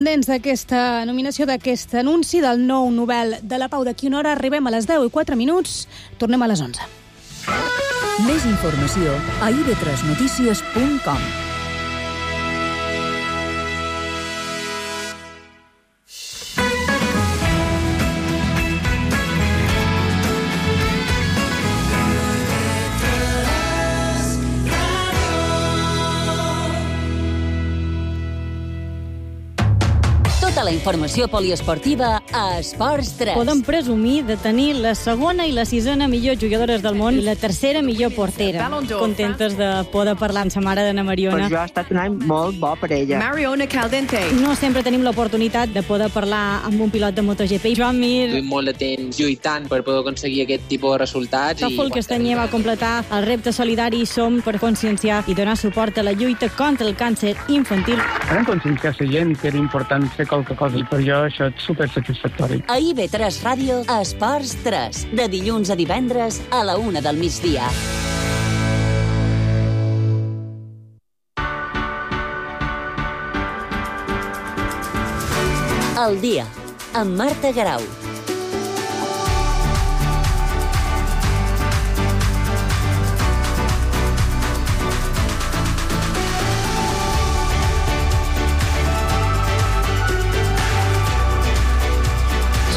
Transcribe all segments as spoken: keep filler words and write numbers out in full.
Dents d'aquesta nominació, d'aquest anunci del nou Nobel de la Pau. D'aquí una hora arribem a les deu i quatre minuts. Tornem a les onze. Més informació a i be tres notícies punt com. Tota la informació poliesportiva a Esports tres. Podem presumir de tenir la segona i la sisena millor jugadores del món i la tercera millor portera. Contentes de poder parlar amb sa mare d'Anna Mariona. Per jo ha estat un any molt bo per ella. Mariona Caldente. No sempre tenim l'oportunitat de poder parlar amb un pilot de MotoGP. Joan Mir. Estic molt de temps lluitant per poder aconseguir aquest tipus de resultats. Tòfol Castanyer va completar el repte solidari Som per conscienciar i donar suport a la lluita contra el càncer infantil. Vam conscienciar la gent que era important fer qualque cosa i per jo això és supersatisfactori. A i be tres Ràdio, Esports tres, de dilluns a divendres a la una del migdia. El dia, amb Marta Garau.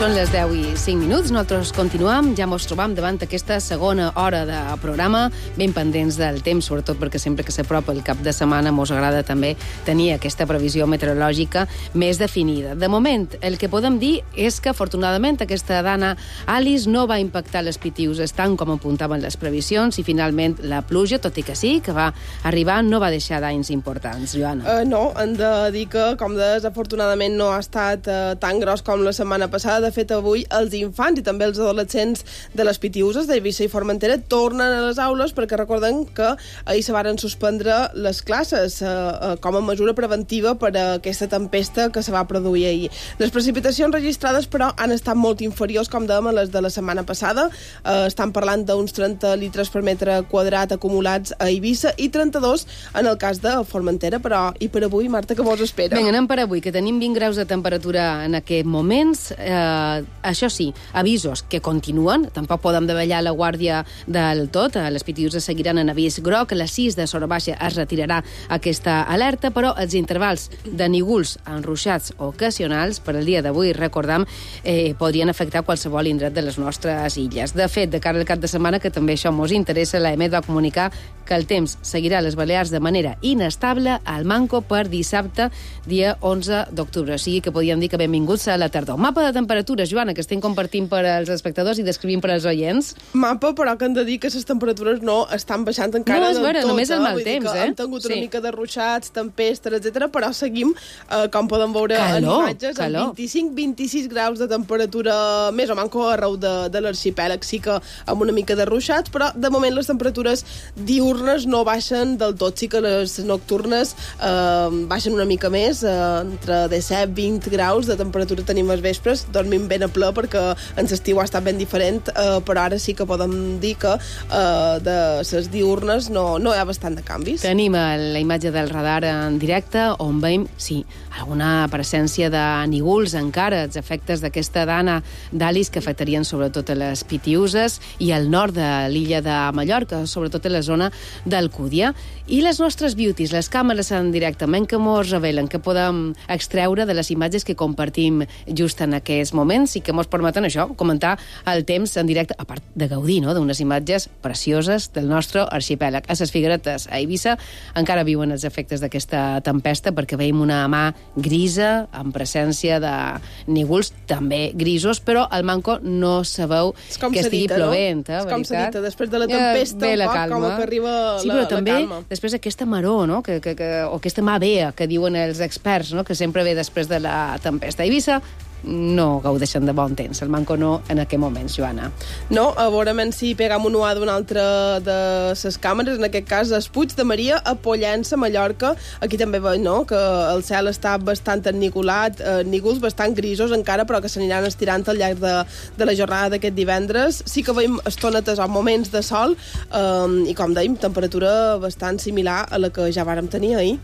Són les deu i cinc minuts, nosaltres continuam, ja mos trobam davant aquesta segona hora de programa, ben pendents del temps, sobretot perquè sempre que s'apropa el cap de setmana mos agrada també tenir aquesta previsió meteorològica més definida. De moment, el que podem dir és que, afortunadament, aquesta dana Alice no va impactar les pitiuses tant com apuntaven les previsions i, finalment, la pluja, tot i que sí, que va arribar, no va deixar danys importants. Joana. Uh, no, hem de dir que, com deies, afortunadament no ha estat uh, tan gros com la setmana passada. De fet, avui els infants i també els adolescents de les Pitiüses d'Eivissa i Formentera tornen a les aules perquè recordem que ahir se varen suspendre les classes eh, eh, com a mesura preventiva per a aquesta tempesta que se va produir ahir. Les precipitacions registrades, però, han estat molt inferiors, com dèiem, a les de la setmana passada. Eh, estan parlant d'uns trenta litres per metre quadrat acumulats a Eivissa i trenta-dos en el cas de Formentera, però i per avui, Marta, què vos espera? Vinga, anem per avui, que tenim vint graus de temperatura en aquests moments. Eh, això sí, avisos que continuen, tampoc podem davallar la guàrdia del tot, les Pitiüses seguiran en avís groc, a les sis de Sora Baixa es retirarà aquesta alerta, però els intervals de nígols enruixats ocasionals per al dia d'avui, recordam, eh, podrien afectar qualsevol indret de les nostres illes. De fet, de cara al cap de setmana, que també això mos interessa, l'A E M E T va comunicar que el temps seguirà a les Balears de manera inestable al Manco per dissabte, dia onze d'octubre. O sigui que podríem dir que benvinguts a la tardor. Mapa de temperatures, Joana, que estem compartint per als espectadors i descrivint per als oients. Mapa, però que hem de dir que les temperatures no estan baixant encara no, és vera, del tot. Només el mal Vull temps, dir que eh? hem tingut sí. una mica de ruixats, tempestes, etcètera, però seguim, eh, com podem veure calor, en imatges, calor. amb vint-i-cinc a vint-i-sis graus de temperatura més o manco arreu de, de l'arxipèlag. Sí que amb una mica de ruixats, però de moment les temperatures diurnes no baixen del tot. Sí que les nocturnes eh, baixen una mica més, eh, entre disset i vint graus de temperatura tenim als vespres, dormim ben a ple perquè en l'estiu ha estat ben diferent, eh, però ara sí que podem dir que eh, de les diurnes no, no hi ha bastant de canvis. Tenim la imatge del radar en directe on veiem, sí, alguna presència de nígols encara, els efectes d'aquesta dana d'Alice que afectarien sobretot a les Pitiüses i al nord de l'illa de Mallorca, sobretot a la zona d'Alcúdia. I les nostres beauties, les càmeres en directament que mos revelen, que podem extreure de les imatges que compartim just en aquests moments i que mos permeten això, comentar el temps en directe, a part de gaudir, no?, d'unes imatges precioses del nostre arxipèlag. A les Figueretes, a Eivissa, encara viuen els efectes d'aquesta tempesta perquè veiem una mà grisa, amb presència de nígols també grisos, però al Manco no sabeu que estigui dita, plovent, no? eh, És com s'ha veritat? dit, després de la tempesta, ja, un poc com que arriba sí, la, però la també, calma. després aquesta maror, no?, que, que, que, o aquesta mà vea, que diuen els experts, no?, que sempre ve després de la tempesta. A Eivissa no gaudeixen de bon temps, el Manco no en aquest moment, Joana. No, a veure si pegam un uà d'una altra de les càmeres, en aquest cas es Puig de Maria, a Pollença, Mallorca. Aquí també veig, no?, que el cel està bastant ennigolat, eh, nígols bastant grisos encara, però que s'aniran estirant al llarg de, de la jornada d'aquest divendres. Sí que veiem estonetes o moments de sol, eh, i com dèiem, temperatura bastant similar a la que ja vàrem tenir ahir.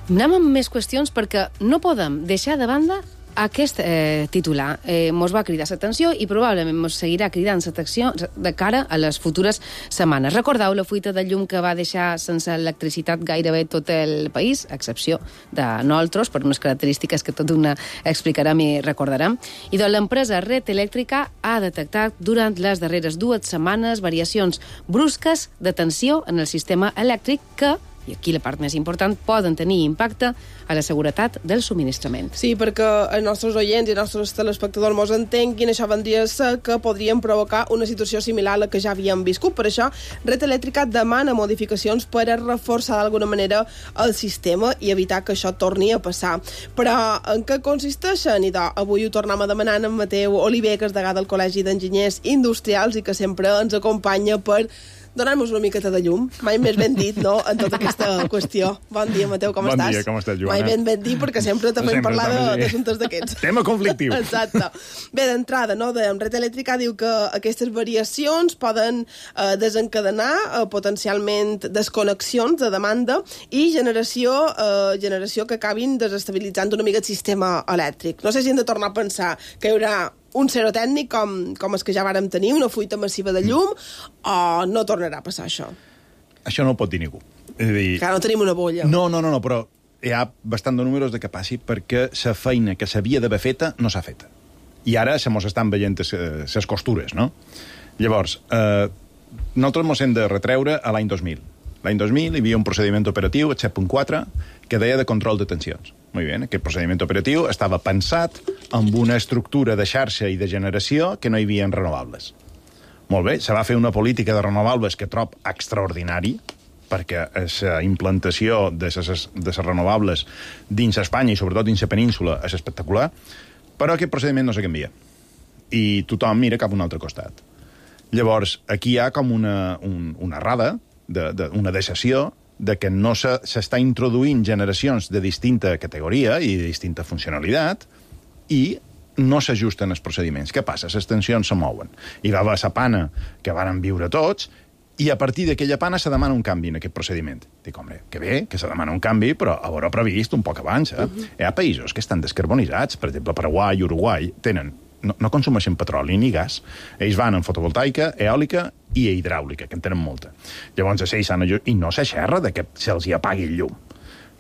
Anem amb més qüestions perquè no podem deixar de banda aquest eh, titular. Eh, mos va cridar l'atenció i probablement mos seguirà cridant l'atenció de cara a les futures setmanes. Recordeu la fuita de llum que va deixar sense electricitat gairebé tot el país, a excepció de nosaltres, per unes característiques que tot una explicarem i recordarem. I doncs l'empresa Red Eléctrica ha detectat durant les darreres dues setmanes variacions brusques de tensió en el sistema elèctric que, i aquí la part més important, poden tenir impacte a la seguretat del subministrament. Sí, perquè els nostres oients i els nostres telespectadors mos entenguin, això vendria a ser que podrien provocar una situació similar a la que ja havíem viscut. Per això, Red Eléctrica demana modificacions per a reforçar d'alguna manera el sistema i evitar que això torni a passar. Però en què consisteixen? I doncs, avui ho tornem a demanar en Mateu Oliver, que és degà del Col·legi d'Enginyers Industrials i que sempre ens acompanya per donar-nos una miqueta de llum. Mai més ben dit, no?, en tota aquesta qüestió. Bon dia, Mateu, com bon estàs? Bon dia, com estàs, Joana? Mai ben ben dit, perquè sempre també hem parlat d'assumptes d'aquests. Tema conflictiu. Exacte. Bé, d'entrada, no?, de Red Eléctrica diu que aquestes variacions poden eh, desencadenar eh, potencialment desconnexions de demanda i generació, eh, generació que acabin desestabilitzant una mica el sistema elèctric. No sé si hem de tornar a pensar que hi haurà un zero tècnic com, com els que ja vàrem tenir, una fuita massiva de llum, o no tornarà a passar això? Això no ho pot dir ningú. És a dir, que no tenim una bolla. No, no, no, no, però hi ha bastant de números de que passi perquè la feina que s'havia d'haver feta no s'ha feta. I ara se mos estan veient les costures, no? Llavors, eh, nosaltres mos hem de retreure a l'any dos mil. L'any dos mil hi havia un procediment operatiu, el set punt quatre, que deia de control de tensions. Molt bé, aquest procediment operatiu estava pensat amb una estructura de xarxa i de generació que no hi havia renovables. Molt bé, se va fer una política de renovables que trob extraordinari, perquè la implantació de les renovables dins Espanya i sobretot dins la península és espectacular, però aquest procediment no se canvia. I tothom mira cap a un altre costat. Llavors, aquí hi ha com una, un, una errada, de, de, una decisió de que no s'està introduint generacions de distinta categoria i de distinta funcionalitat i no s'ajusten els procediments. Què passa? Les tensions se mouen. Hi va haver la pana que varen viure tots i a partir d'aquella pana se demana un canvi en aquest procediment. Dic, home, que bé, que se demana un canvi, però haurà previst un poc abans. Eh? Uh-huh. Hi ha països que estan descarbonitzats, per exemple, Paraguai i Uruguai, tenen no, no consumeixen petroli ni gas. Ells van en fotovoltaica, eòlica i hidràulica, que en tenen molta. Llavors, ells s'han ajut... I no s'aixerra de que se'ls hi apagui el llum.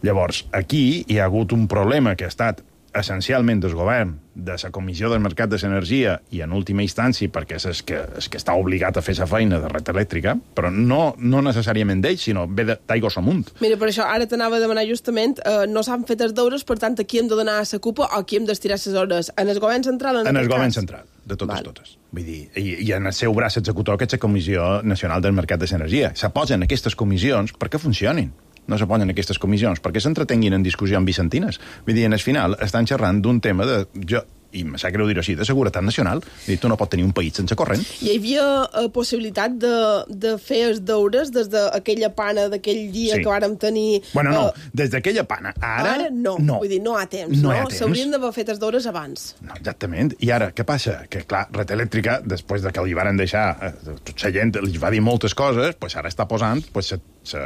Llavors, aquí hi ha hagut un problema que ha estat essencialment del govern, de la Comissió del Mercat de l'Energia i, en última instància, perquè és el que, és que està obligat a fer la feina de Red Eléctrica, però no, no necessàriament d'ells, sinó ve d'aigües amunt. Mira, per això ara t'anava a demanar justament, eh, no s'han fet els deures, per tant, aquí hem de donar a la cupa o aquí hem d'estirar les hores? En el govern central? En, en el govern central, de totes, Val. totes. Vull dir, i, i en el seu braç executor, que és la Comissió Nacional del Mercat de l'Energia. Se posen aquestes comissions perquè funcionin. No se ponen aquestes comissions perquè s'entretenguin en discussions vicentines. Vull dir, en el final estan xerrant d'un tema de... Jo, i em sap greu dir-ho així, de seguretat nacional. Vull dir, tu no pots tenir un país sense corrent. Hi havia uh, possibilitat de, de fer els deures des d'aquella pana d'aquell dia sí. que vàrem tenir... Bueno, no, uh, des d'aquella pana. Ara, ara no. no. Vull dir, no ha temps, no? no? S'haurien d'haver fet els deures abans. No, exactament. I ara, què passa? Que, clar, Red Eléctrica, després de que li varen deixar... Eh, tota la gent li va dir moltes coses, pues ara està posant... Pues, sa,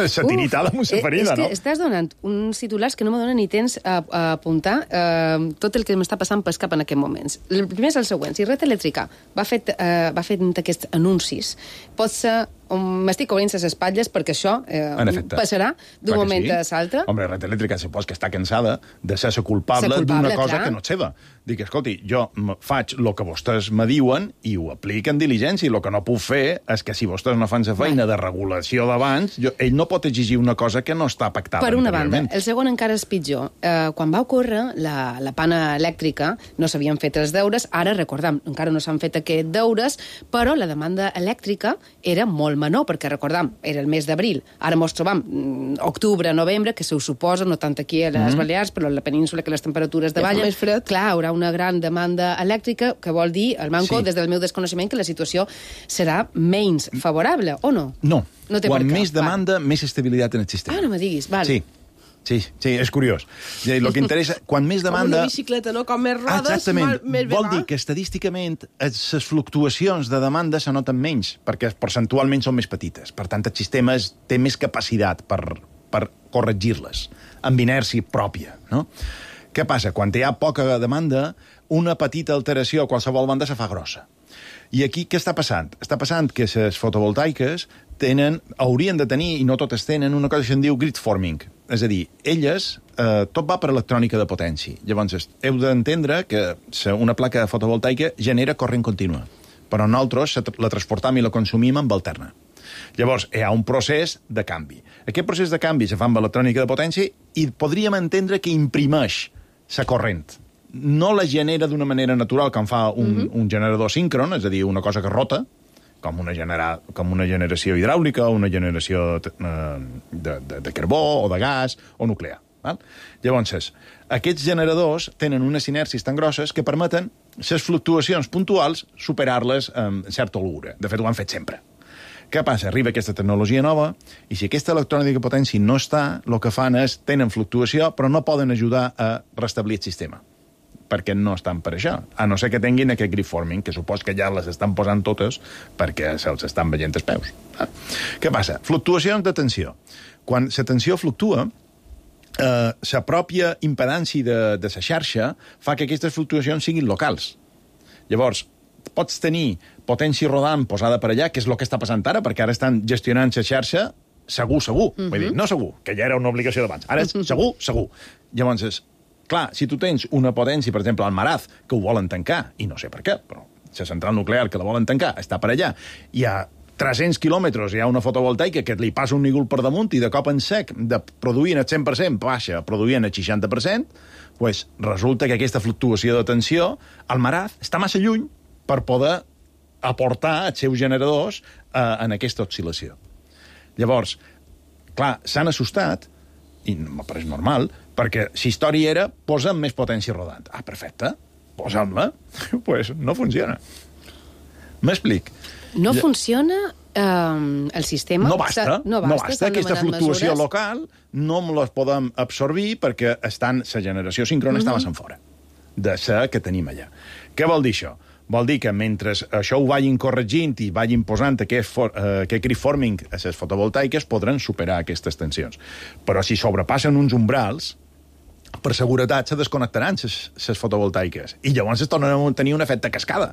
sa tiritada amb una farina, no? És que no? estàs donant uns titulars que no me donen ni temps a, a apuntar eh, tot el que m'està passant pel cap en aquests moments. El primer és el següent. Si Red Eléctrica va fet, eh, va fet aquests anuncis, pot ser... M'estic cobrint les espatlles perquè això eh, passarà d'un moment sí. a l'altre. Home, Red Eléctrica supos que està cansada de ser la culpable, culpable d'una cosa clar. que no és seva. Dic, escolti, jo faig el que vostès me diuen i ho apliquen diligència, i el que no puc fer és que si vostès no fan la feina de regulació d'abans, ell no pot exigir una cosa que no està pactada. Per una banda. El segon encara és pitjor. Eh, quan va ocórrer la, la pana elèctrica, no s'havien fet els deures, ara, recordem, encara no s'han fet aquests deures, però la demanda elèctrica era molt menor, perquè recordam, era el mes d'abril. Ara mos trobam mm, octubre, novembre, que se ho suposa, no tant aquí a les mm-hmm. Balears, però a la península, que les temperatures davallen. Més fred. Clar, haurà una gran demanda elèctrica, que vol dir, el manco, sí. des del meu desconeixement, que la situació serà menys favorable, o no? No. no Quan més demanda, Va. més estabilitat en el sistema. Ah, no me diguis, val. Sí. Sí, sí, és curiós. El que interessa, quan més demanda... Com una bicicleta, no? Com més rodes, Exactament. més bé Vol va. dir que estadísticament les fluctuacions de demanda se noten menys, perquè percentualment són més petites. Per tant, el sistema té més capacitat per, per corregir-les, amb inèrcia pròpia, no? Què passa? Quan hi ha poca demanda, una petita alteració a qualsevol banda se fa grossa. I aquí què està passant? Està passant que les fotovoltaiques tenen, haurien de tenir, i no totes tenen, una cosa que se'n diu grid forming. És a dir, elles, eh, tot va per electrònica de potència. Llavors, heu d'entendre que una placa fotovoltaica genera corrent contínua, però nosaltres la transportam i la consumim amb alterna. Llavors, hi ha un procés de canvi. Aquest procés de canvi se fa amb electrònica de potència i podríem entendre que imprimeix la corrent. No la genera d'una manera natural com fa un, uh-huh. un generador síncron, és a dir, una cosa que rota, com una, genera, com una generació hidràulica o una generació eh, de, de, de carbó o de gas o nuclear. Val? Llavors, aquests generadors tenen unes inèrcies tan grosses que permeten les fluctuacions puntuals superar-les amb certa holgura. De fet, ho han fet sempre. Què passa? Arriba aquesta tecnologia nova i si aquesta electrònica de potència no està, el que fan és, tenen fluctuació, però no poden ajudar a restablir el sistema, perquè no estan per això, a no ser que tinguin aquest grid forming, que supos que ja les estan posant totes perquè se'ls estan veient els peus. Ah. Què passa? Fluctuacions de tensió. Quan la tensió fluctua, eh, la pròpia impedància de, de la xarxa fa que aquestes fluctuacions siguin locals. Llavors, pots tenir potència rodant posada per allà, que és el que està passant ara, perquè ara estan gestionant la xarxa segur, segur. Uh-huh. Vull dir, no segur, que ja era una obligació d'abans. Ara és segur, segur. Llavors, és, clar, si tu tens una potència, per exemple, al Maraz, que ho volen tancar, i no sé per què, però la central nuclear que la volen tancar està per allà, hi ha tres-cents quilòmetres, hi ha una fotovoltaica que li passa un nígol per damunt i de cop en sec, de produir el cent per cent, baixa, produint el seixanta per cent, pues resulta que aquesta fluctuació de tensió, al Maraz, està massa lluny per poder aportar els seus generadors eh, en aquesta oscil·lació. Llavors, clar, s'han assustat, i me pareix normal, perquè si història era, posa'm més potència rodant. Ah, perfecte, posa'm-la. Doncs pues no funciona. M'explic. No ja... funciona eh, el sistema? No basta, no basta. No basta. Aquesta fluctuació mesures... local no les podem absorbir perquè estan, la generació síncrona uh-huh. està massa fora de la que tenim allà. Què vol dir això? Vol dir que mentre això ho vagin corregint i vagin posant aquest, for, uh, aquest grid forming a les fotovoltaiques, podran superar aquestes tensions. Però si sobrepassen uns umbrals, per seguretat se desconnectaran les fotovoltaiques i llavors es tornen a tenir un efecte cascada.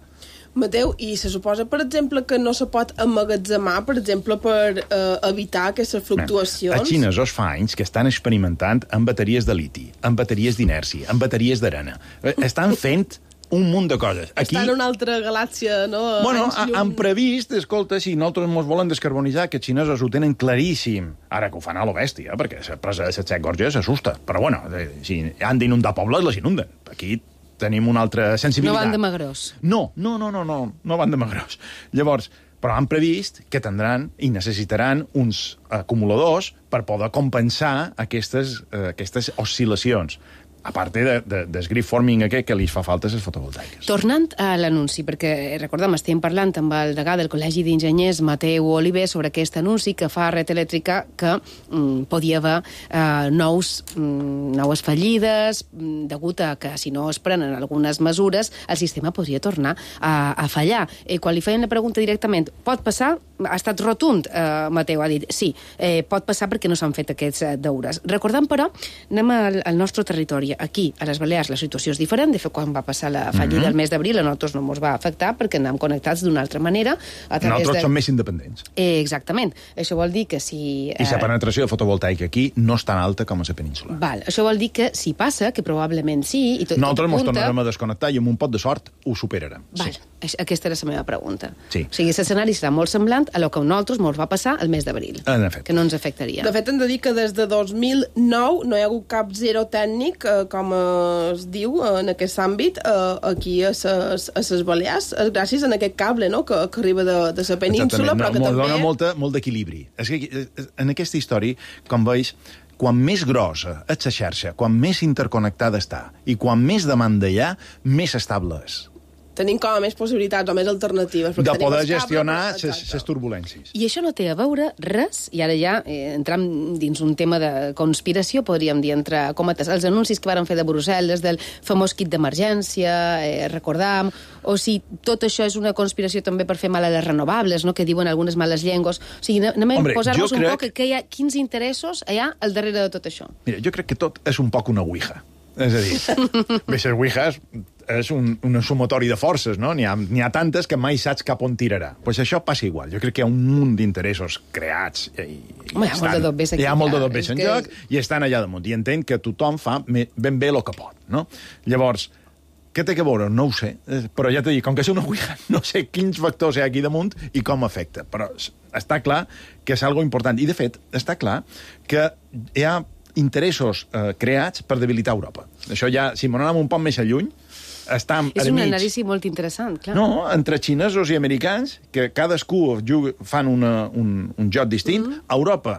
Mateu, i se suposa, per exemple, que no se pot emmagatzemar, per exemple, per eh, evitar aquestes fluctuacions? Els xinesos fa anys que estan experimentant amb bateries de liti, amb bateries d'inèrcia, amb bateries d'arena. Estan fent un munt de coses. Aquí... Està en una altra galàxia, no? Bueno, han previst, escolta, si nosaltres ens volen descarbonitzar, que els xinesos ho tenen claríssim. Ara que ho fan a lo bèstia, perquè la presa de set Gorges s'assusta. Però, bueno, si han d'inundar pobles, les inunden. Aquí tenim una altra sensibilitat. No van de magrós. No, no, no, no, no, no van de magrós. Llavors, però han previst que tindran i necessitaran uns acumuladors per poder compensar aquestes, eh, aquestes oscil·lacions. A part de, de, del grid forming aquest que li fa falta a les fotovoltaiques. Tornant a l'anunci, perquè, recordem, estem parlant amb el degà del Col·legi d'Enginyers, Mateu Oliver, sobre aquest anunci que fa Red Elèctrica que mm, podia haver eh, nous, mm, noves fallides, mm, degut a que si no es prenen algunes mesures, el sistema podria tornar a, a fallar. Eh, quan li feien la pregunta directament, pot passar? Ha estat rotund, eh, Mateu ha dit, sí, eh, pot passar perquè no s'han fet aquests eh, deures. Recordem, però, anem al, al nostre territori. Aquí, a les Balears, la situació és diferent. De fet, quan va passar la fallida mm-hmm. el mes d'abril, a nosaltres no ens va afectar perquè anàvem connectats d'una altra manera. A nosaltres de... som més independents. Eh, exactament. Això vol dir que si... I la penetració de fotovoltaica aquí no és tan alta com a la península. Val. Això vol dir que si passa, que probablement sí... I tot, nosaltres ens punta... tornarem a desconnectar i amb un pot de sort ho superarem. Val. Sí. Aquesta era la meva pregunta. Sí. O sigui, l'escenari serà molt semblant a el que a nosaltres ens va passar el mes d'abril. En efecte. Que no ens afectaria. De fet, hem de dir que des de dos mil nou no hi ha hagut cap zero tècnic, eh, com es diu en aquest àmbit, eh, aquí a ses, a ses Balears, gràcies a aquest cable, no?, que, que arriba de, de la península, però que no, també... Dona molta, molt d'equilibri. És que en aquesta història, com veus, quan més grossa és la xarxa, quan més interconnectada està i quan més demanda hi ha, més estable és. tenim com a més possibilitats o més alternatives. De poder gestionar les turbulències. I això no té a veure res, i ara ja eh, entram dins un tema de conspiració, podríem dir, entre cometes, els anuncis que varen fer de Brussel·les, del famós kit d'emergència, eh, recordam, o si tot això és una conspiració també per fer mal a les renovables, no?, que diuen algunes males llengües. O sigui, anem a posar-nos un crec... poc que hi ha quins interessos hi ha al darrere de tot això. Mira, jo crec que tot és un poc una ouija. És a dir, bé, les ouijas és un, un sumatori de forces, no? N'hi ha, n'hi ha tantes que mai saps cap on tirarà. Doncs pues això passa igual. Jo crec que hi ha un munt d'interessos creats. I, i Home, hi ha molt de dobbers aquí. Hi ha molt de dobbers en joc i estan allà damunt. I entenc que tothom fa ben bé el que pot, no? Llavors, què té que veure? No ho sé. Però ja t'he dit, com que és una ouija, no sé quins factors hi ha aquí damunt i com afecta. Però està clar que és algo important. I, de fet, està clar que hi ha interessos eh, creats per debilitar Europa. Això ja, si m'ho anem un poc més a lluny, estem és un anàlisi molt interessant, clar. No, entre xinesos i americans, que cadascú juga, fan una, un, un joc distint. Mm-hmm. Europa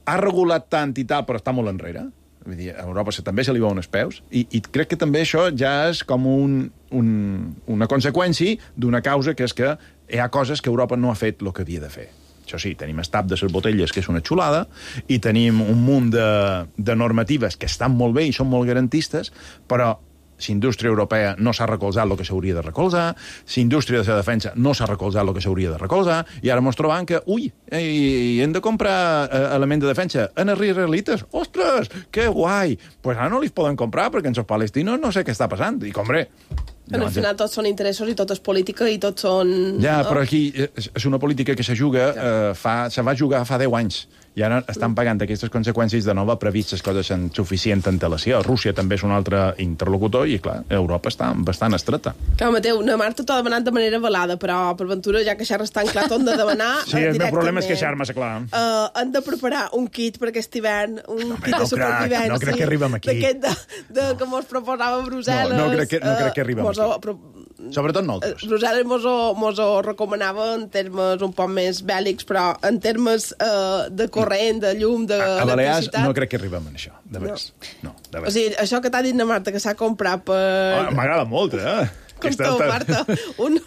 ha regulat tant i tal, però està molt enrere. Vull dir, a Europa també se li veuen els peus, i, i crec que també això ja és com un, un, una conseqüència d'una causa, que és que hi ha coses que Europa no ha fet el que havia de fer. Això sí, tenim el tap de les botelles, que és una xulada, i tenim un munt de, de normatives que estan molt bé i són molt garantistes, però la indústria europea no s'ha recolzat el que s'hauria de recolzar, la indústria de la defensa no s'ha recolzat el que s'hauria de recolzar, i ara ens trobam que, ui, ei, hem de comprar eh, element de defensa en els israelites. Ostres, que guai! Doncs pues ara no li poden comprar, perquè en els palestinos no sé què està passant. I, hombre... En al final tots són interessos i tot és política i tots són... Ja, no? Però aquí és una política que se juga, eh, fa, se va jugar fa deu anys, i ara estan pagant aquestes conseqüències de nova previst les coses en suficient antelació. Rússia també és un altre interlocutor i, clar, Europa està bastant estreta. Clar, Mateu, na Marta t'ho ha demanat de manera velada, però per ventura, ja que xerres tan clar, t'ho han de demanar sí, el meu problema és queixar-me, clar. Uh, han de preparar un kit per aquest hivern, un no, kit no de supervivència. No crec que arribem aquí. D'aquest de, de, que mos proposava Brussel·les. No, no, crec que, no crec que arribem mos, aquí. Però, sobretot nosaltres. Brussel·les mos, mos ho recomanava en termes un poc més bèl·lics, però en termes uh, de corrent, de llum, de a, a Balears no crec que arribem en això, de veres. No. No, de veres. O sigui, això que t'ha dit na Marta, que s'ha comprat per... Oh, m'agrada molt, eh? Com tu, Marta, un,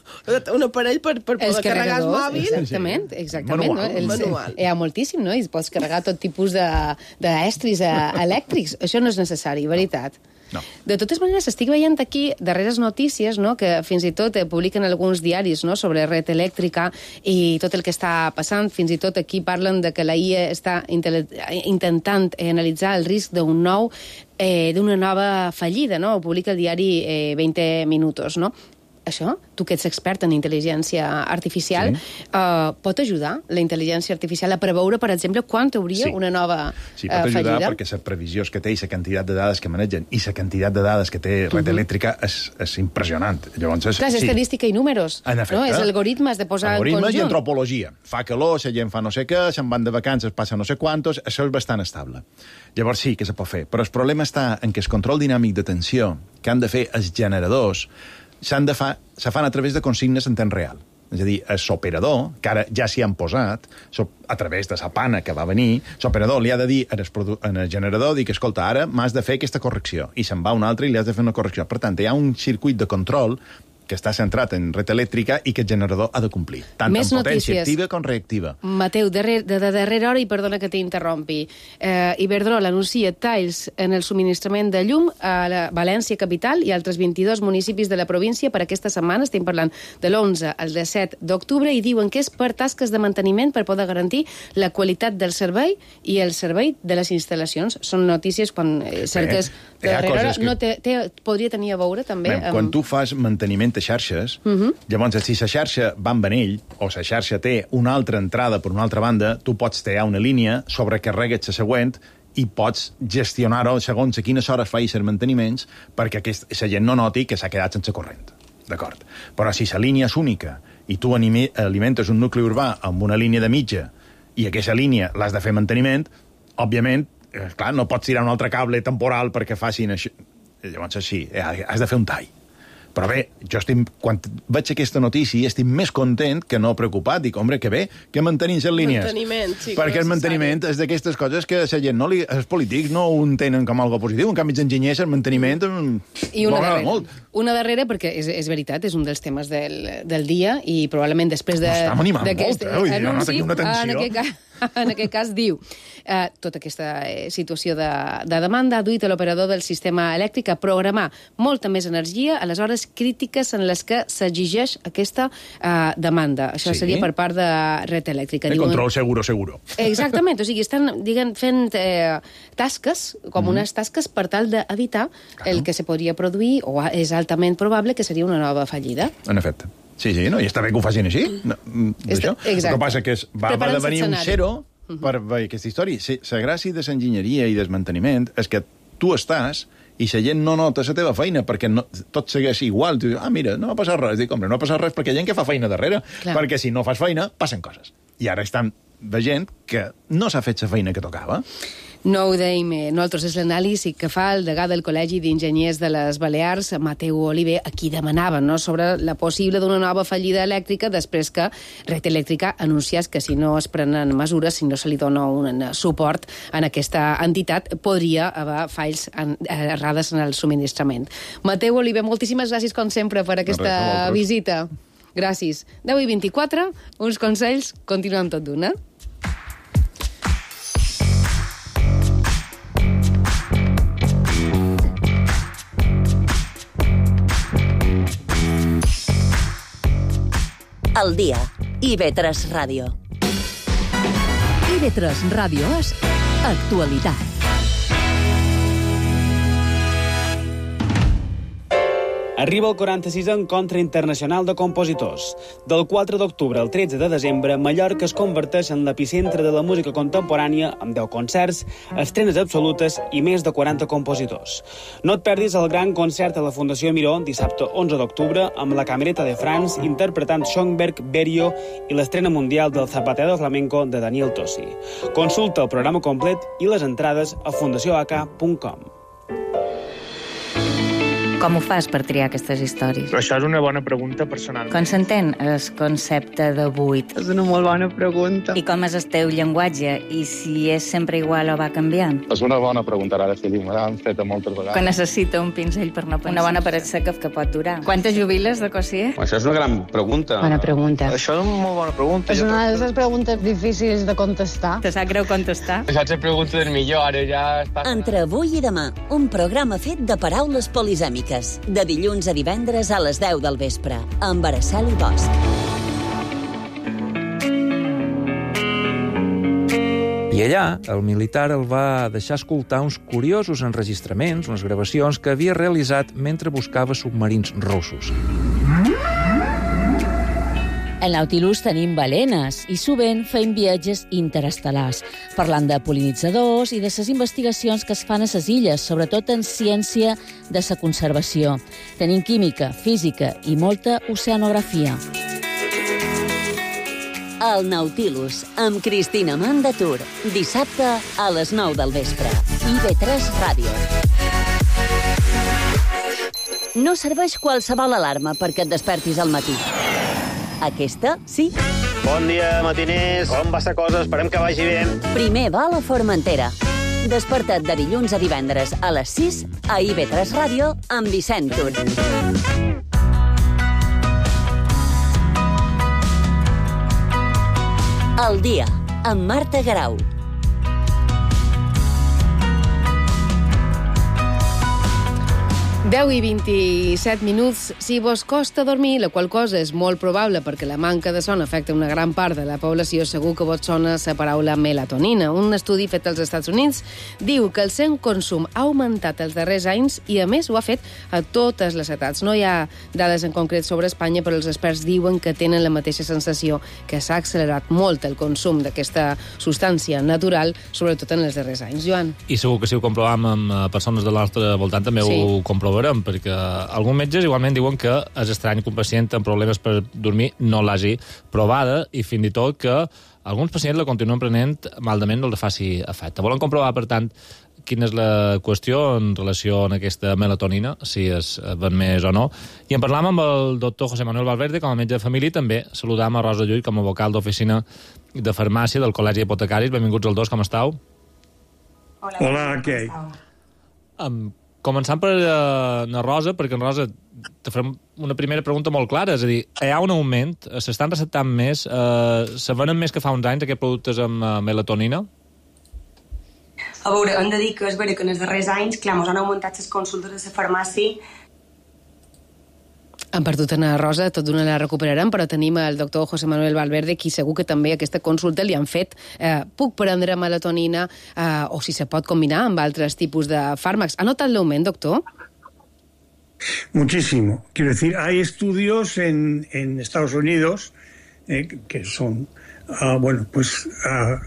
un aparell per, per poder carregar el mòbil. Exactament, exactament. Manual. No? Els, Manual. Hi ha moltíssim, no? I pots carregar tot tipus d'estris de, elèctrics. Això no és necessari, veritat. No. De totes maneres, estic veient aquí darreres notícies, no?, que fins i tot eh, publiquen alguns diaris, no?, sobre red elèctrica i tot el que està passant. Fins i tot aquí parlen de que la I A està intentant eh, analitzar el risc d'un nou eh, d'una nova fallida, no? Ho publica el diari eh, veinte minutos, no? Això, tu que ets expert en intel·ligència artificial, sí. uh, pot ajudar la intel·ligència artificial a preveure, per exemple, quan hauria sí. una nova fallida? Sí, pot ajudar uh, perquè la previsió que té i la quantitat de dades que manegen i la quantitat de dades que té red uh -huh. elèctrica és, és impressionant. Llavors, és, clar, és sí. estadística i números. En efecte. No? És algoritmes de posar algoritmes en conjunt. I antropologia. Fa calor, la gent fa no sé què, se'n van de vacances, passa no sé quantos, això és bastant estable. Llavors sí que se pot fer. Però el problema està en que el control dinàmic de tensió que han de fer els generadors s'han de fa, se fan a través de consignes en temps real. És a dir, l'operador, que ara ja s'hi han posat, a través de la pana que va venir, l'operador li ha de dir al generador, dir que, escolta, ara m'has de fer aquesta correcció, i se'n va un altre i li has de fer una correcció. Per tant, hi ha un circuit de control que està centrat en red elèctrica i que el generador ha de complir, tant Més en potència notícies. activa com reactiva. Mateu, de, de, de darrera hora, i perdona que t'interrompi, eh, Iberdrola anuncia talls en el subministrament de llum a la València capital i altres vint-i-dos municipis de la província per aquesta setmana. Estem parlant de l'onze al disset d'octubre i diuen que és per tasques de manteniment per poder garantir la qualitat del servei i el servei de les instal·lacions. Són notícies quan eh, cerques Bé, de darrera hora. Que... No té, té, podria tenir a veure també... Bé, amb... Quan tu fas manteniment de xarxes, uh-huh. llavors, si la xarxa va en vanell o la xarxa té una altra entrada per una altra banda, tu pots triar una línia, sobrecarregues la següent i pots gestionar-ho segons a quines hores facis els manteniments perquè la gent no noti que s'ha quedat sense corrent. D'acord? Però si la línia és única i tu alimentes un nucli urbà amb una línia de mitja i aquesta línia l'has de fer manteniment, òbviament, eh, clar, no pots tirar un altre cable temporal perquè facin això. Llavors, sí, has de fer un tall. Però bé, jo estic, quan veig aquesta notícia estic més content que no preocupat. Dic, home, que bé, que mantenim les línies. Manteniment, sí. Perquè el manteniment és d'aquestes coses que la gent no li, els polítics no ho entenen com algo positiu. En canvi, els enginyers, el manteniment... I una darrera, molt. una darrera, perquè és, és veritat, és un dels temes del, del dia i probablement després de... M'està animant molt, eh? Ui, jo noto aquí una tensió. En aquest cas, en aquest cas diu eh, tota aquesta eh, situació de, de demanda ha duit a l'operador del sistema elèctric a programar molta més energia a les hores crítiques en les que s'exigeix aquesta eh, demanda. Això sí? Seria per part de Red Eléctrica. El control seguro, seguro. Exactament, o sigui, estan diguem, fent eh, tasques, com mm. unes tasques per tal d'evitar claro. el que se podria produir, o és altament probable que seria una nova fallida. En efecte. Sí, sí, no? I està bé que ho facin així. No, Està, el que passa que és, va, va devenir un zero uh -huh. per veure aquesta història. La gràcia de l'enginyeria i del manteniment és que tu estàs i la gent no nota la teva feina perquè no, tot segueix igual. Tu dius, ah, mira, no ha passat res. Dic, home, no ha passat res perquè hi ha gent que fa feina darrere. Clar. Perquè si no fas feina, passen coses. I ara estan veient que no s'ha fet la feina que tocava. No ho deim eh, nosaltres, és l'anàlisi que fa el degà del Col·legi d'Enginyers de les Balears, Mateu Oliver, a qui demanaven no, sobre la possible d'una nova fallida elèctrica després que Red Eléctrica anunciés que si no es prenen mesures, si no se li dona un suport en aquesta entitat, podria haver falls en, errades en el subministrament. Mateu Oliver, moltíssimes gràcies, com sempre, per aquesta no visita. Gràcies. deu i vint-i-quatre, uns consells, continuem tot d'una. Al dia. I ve tres Ràdio. I ve tres Ràdio és actualitat. Arriba el quaranta-sisè Encontre Internacional de Compositors. Del quatre d'octubre al tretze de desembre, Mallorca es converteix en l'epicentre de la música contemporània amb deu concerts, estrenes absolutes i més de quaranta compositors. No et perdis el gran concert a la Fundació Miró dissabte onze d'octubre amb la Camereta de France interpretant Schoenberg, Berio i l'estrena mundial del Zapatero Flamenco de Daniel Tosi. Consulta el programa complet i les entrades a fundació a ca punt com. Com ho fas per triar aquestes històries? Això és una bona pregunta personal. Com s'entén el concepte de buit? És una molt bona pregunta. I com és el teu llenguatge? I si és sempre igual o va canviant? És una bona pregunta, ara sí, me l'han fet moltes vegades. Quan necessita un pinzell per no pensar. Una bona paret seca que pot durar. Quantes jubiles de Cossier? Això és una gran pregunta. Bona pregunta. Això és una molt bona pregunta. És una de les preguntes difícils de contestar. Te sap greu contestar? Això és la pregunta del millor, ara ja està... Entre avui i demà, un programa fet de paraules polisèmiques. De dilluns a divendres a les deu del vespre, amb Araceli Bosch. I allà, el militar el va deixar escoltar uns curiosos enregistraments, unes gravacions que havia realitzat mentre buscava submarins russos. Al Nautilus tenim balenes i sovint fem viatges interestel·lars, parlant de pol·linitzadors i de les investigacions que es fan a les illes, sobretot en ciència de la conservació. Tenim química, física i molta oceanografia. El Nautilus, amb Cristina Mandatur, dissabte a les nou del vespre. I ve tres Ràdio. No serveix qualsevol alarma perquè et despertis al matí. Aquesta, sí. Bon dia, matiners. Com va la cosa? Esperem que vagi bé. Primer va a Formentera. Desperta't de dilluns a divendres a les sis a I ve tres Ràdio amb Vicent Tur. El dia, amb Marta Garau. deu i vint-i-set minuts. Si vos costa dormir, la qual cosa és molt probable perquè la manca de son afecta una gran part de la població, segur que vos sona la paraula melatonina. Un estudi fet als Estats Units diu que el seu consum ha augmentat els darrers anys i, a més, ho ha fet a totes les edats. No hi ha dades en concret sobre Espanya, però els experts diuen que tenen la mateixa sensació, que s'ha accelerat molt el consum d'aquesta substància natural, sobretot en els darrers anys. Joan? I segur que si ho comprovem amb persones del nostre voltant també sí. Ho comprovarem, perquè alguns metges igualment diuen que és estrany que un pacient amb problemes per dormir no l'hagi provada i fins i tot que alguns pacients la continuen prenent malament no li faci efecte. Volen comprovar, per tant, quina és la qüestió en relació a aquesta melatonina, si es ven més o no. I en parlàvem amb el doctor José Manuel Valverde, com a metge de família, i també saludàvem a Rosa Llull, com a vocal d'oficina de farmàcia del Col·legi d'Hipotecaris. Benvinguts els dos, com estàu? Hola, Hola què? Um, començant per uh, la Rosa, perquè en Rosa te farem una primera pregunta molt clara, és a dir, hi ha un augment, s'estan receptant més, uh, se venen més que fa uns anys aquests productes amb uh, melatonina? A veure, hem de dir que és vera que en els darrers anys, clar, ens han augmentat les consultes a la farmàcia. Han perdut a Rosa, tot d'una la recuperarem, però tenim el doctor José Manuel Valverde, qui segur que també aquesta consulta li han fet. Eh, puc prendre melatonina eh, o si se pot combinar amb altres tipus de fàrmacs. ¿Ha notat l'augment, doctor? Muchísimo. Quiero decir, hay estudios en, en Estados Unidos eh, que son, uh, bueno, pues uh,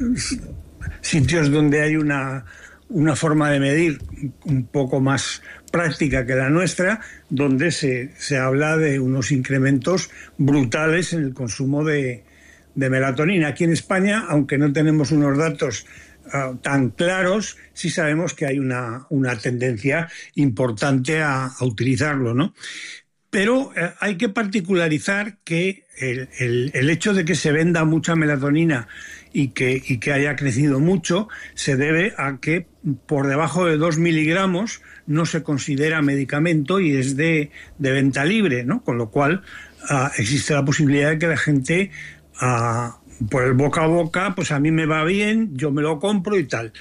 sitios donde hay una, una forma de medir un poco más práctica que la nuestra, donde se, se habla de unos incrementos brutales en el consumo de, de melatonina. Aquí en España, aunque no tenemos unos datos uh, tan claros, sí sabemos que hay una, una tendencia importante a, a utilizarlo, ¿no? Pero eh, hay que particularizar que el, el, el hecho de que se venda mucha melatonina y que, y que haya crecido mucho se debe a que por debajo de dos miligramos no se considera medicamento y es de, de venta libre, ¿no? Con lo cual uh, existe la posibilidad de que la gente, uh, por el boca a boca, pues a mí me va bien, yo me lo compro y tal.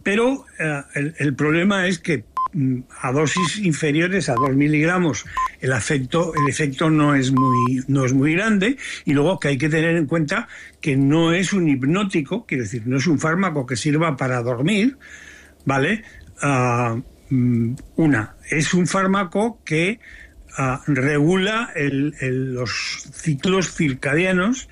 Pero uh, el, el problema es que a dosis inferiores a dos miligramos el efecto, el efecto no es muy, no es muy grande, y luego que hay que tener en cuenta que no es un hipnótico, quiero decir, no es un fármaco que sirva para dormir, ¿vale? Uh, una, es un fármaco que uh, regula el, el, los ciclos circadianos,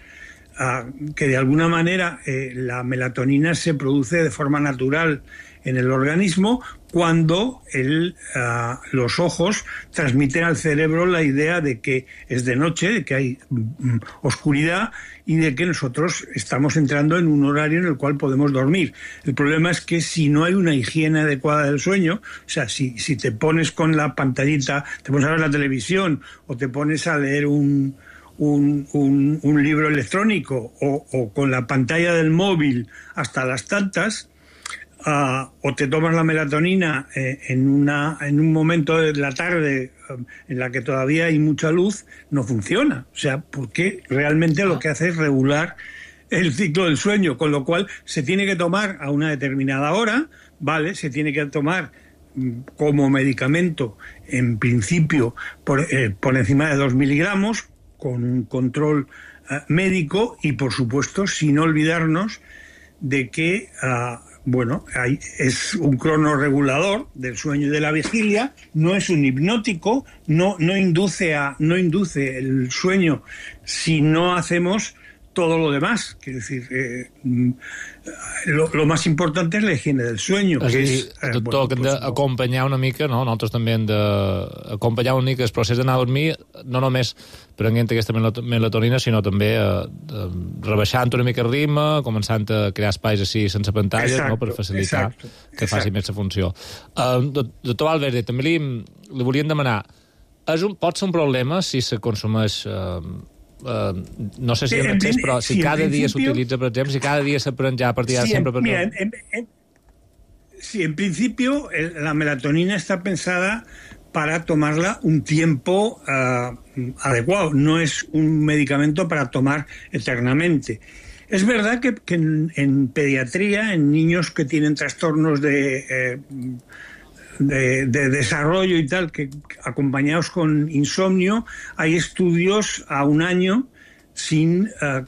uh, que de alguna manera eh, la melatonina se produce de forma natural en el organismo cuando el, uh, los ojos transmiten al cerebro la idea de que es de noche, de que hay um, oscuridad y de que nosotros estamos entrando en un horario en el cual podemos dormir. El problema es que si no hay una higiene adecuada del sueño, o sea, si, si te pones con la pantallita, te pones a ver la televisión o te pones a leer un, un, un, un libro electrónico o, o con la pantalla del móvil hasta las tantas, Uh, o te tomas la melatonina eh, en, una, en un momento de la tarde um, en la que todavía hay mucha luz, no funciona. O sea, porque realmente lo que hace es regular el ciclo del sueño, con lo cual se tiene que tomar a una determinada hora, ¿vale? Se tiene que tomar mm, como medicamento, en principio, por, eh, por encima de dos miligramos, con un control uh, médico y, por supuesto, sin olvidarnos de que... Uh, Bueno, hay, es un cronorregulador del sueño y de la vigilia, no es un hipnótico, no, no, induce a, no induce el sueño si no hacemos todo lo demás. Quiero decir, eh, lo, lo más importante es la higiene del sueño. És que dir, és, eh, doctor, bueno, que hem pues, d'acompanyar una mica, no? Nosaltres també hem d'acompanyar una mica el procés d'anar a dormir, no només prenent aquesta melatonina, sinó també eh, rebaixant una mica el ritme, començant a crear espais així sense pantalles, exacto, no? Per facilitar exacto, que faci exacto. més la funció. Uh, doctor Valverde, també li, li volíem demanar, és un, pot ser un problema si se consumeix... Uh, Uh, no sé si en excés, però si, si cada dia s'utilitza, per exemple, si cada dia se pren ja a partir de sí, sempre... Per... Mira, en, en, en, sí, en principio el, la melatonina está pensada para tomarla un tiempo uh, adecuado, no es un medicamento para tomar eternamente. Es verdad que, que en, en pediatría, en niños que tienen trastornos de... Eh, De, de desarrollo y tal, que acompañados con insomnio, hay estudios a un año sin, uh,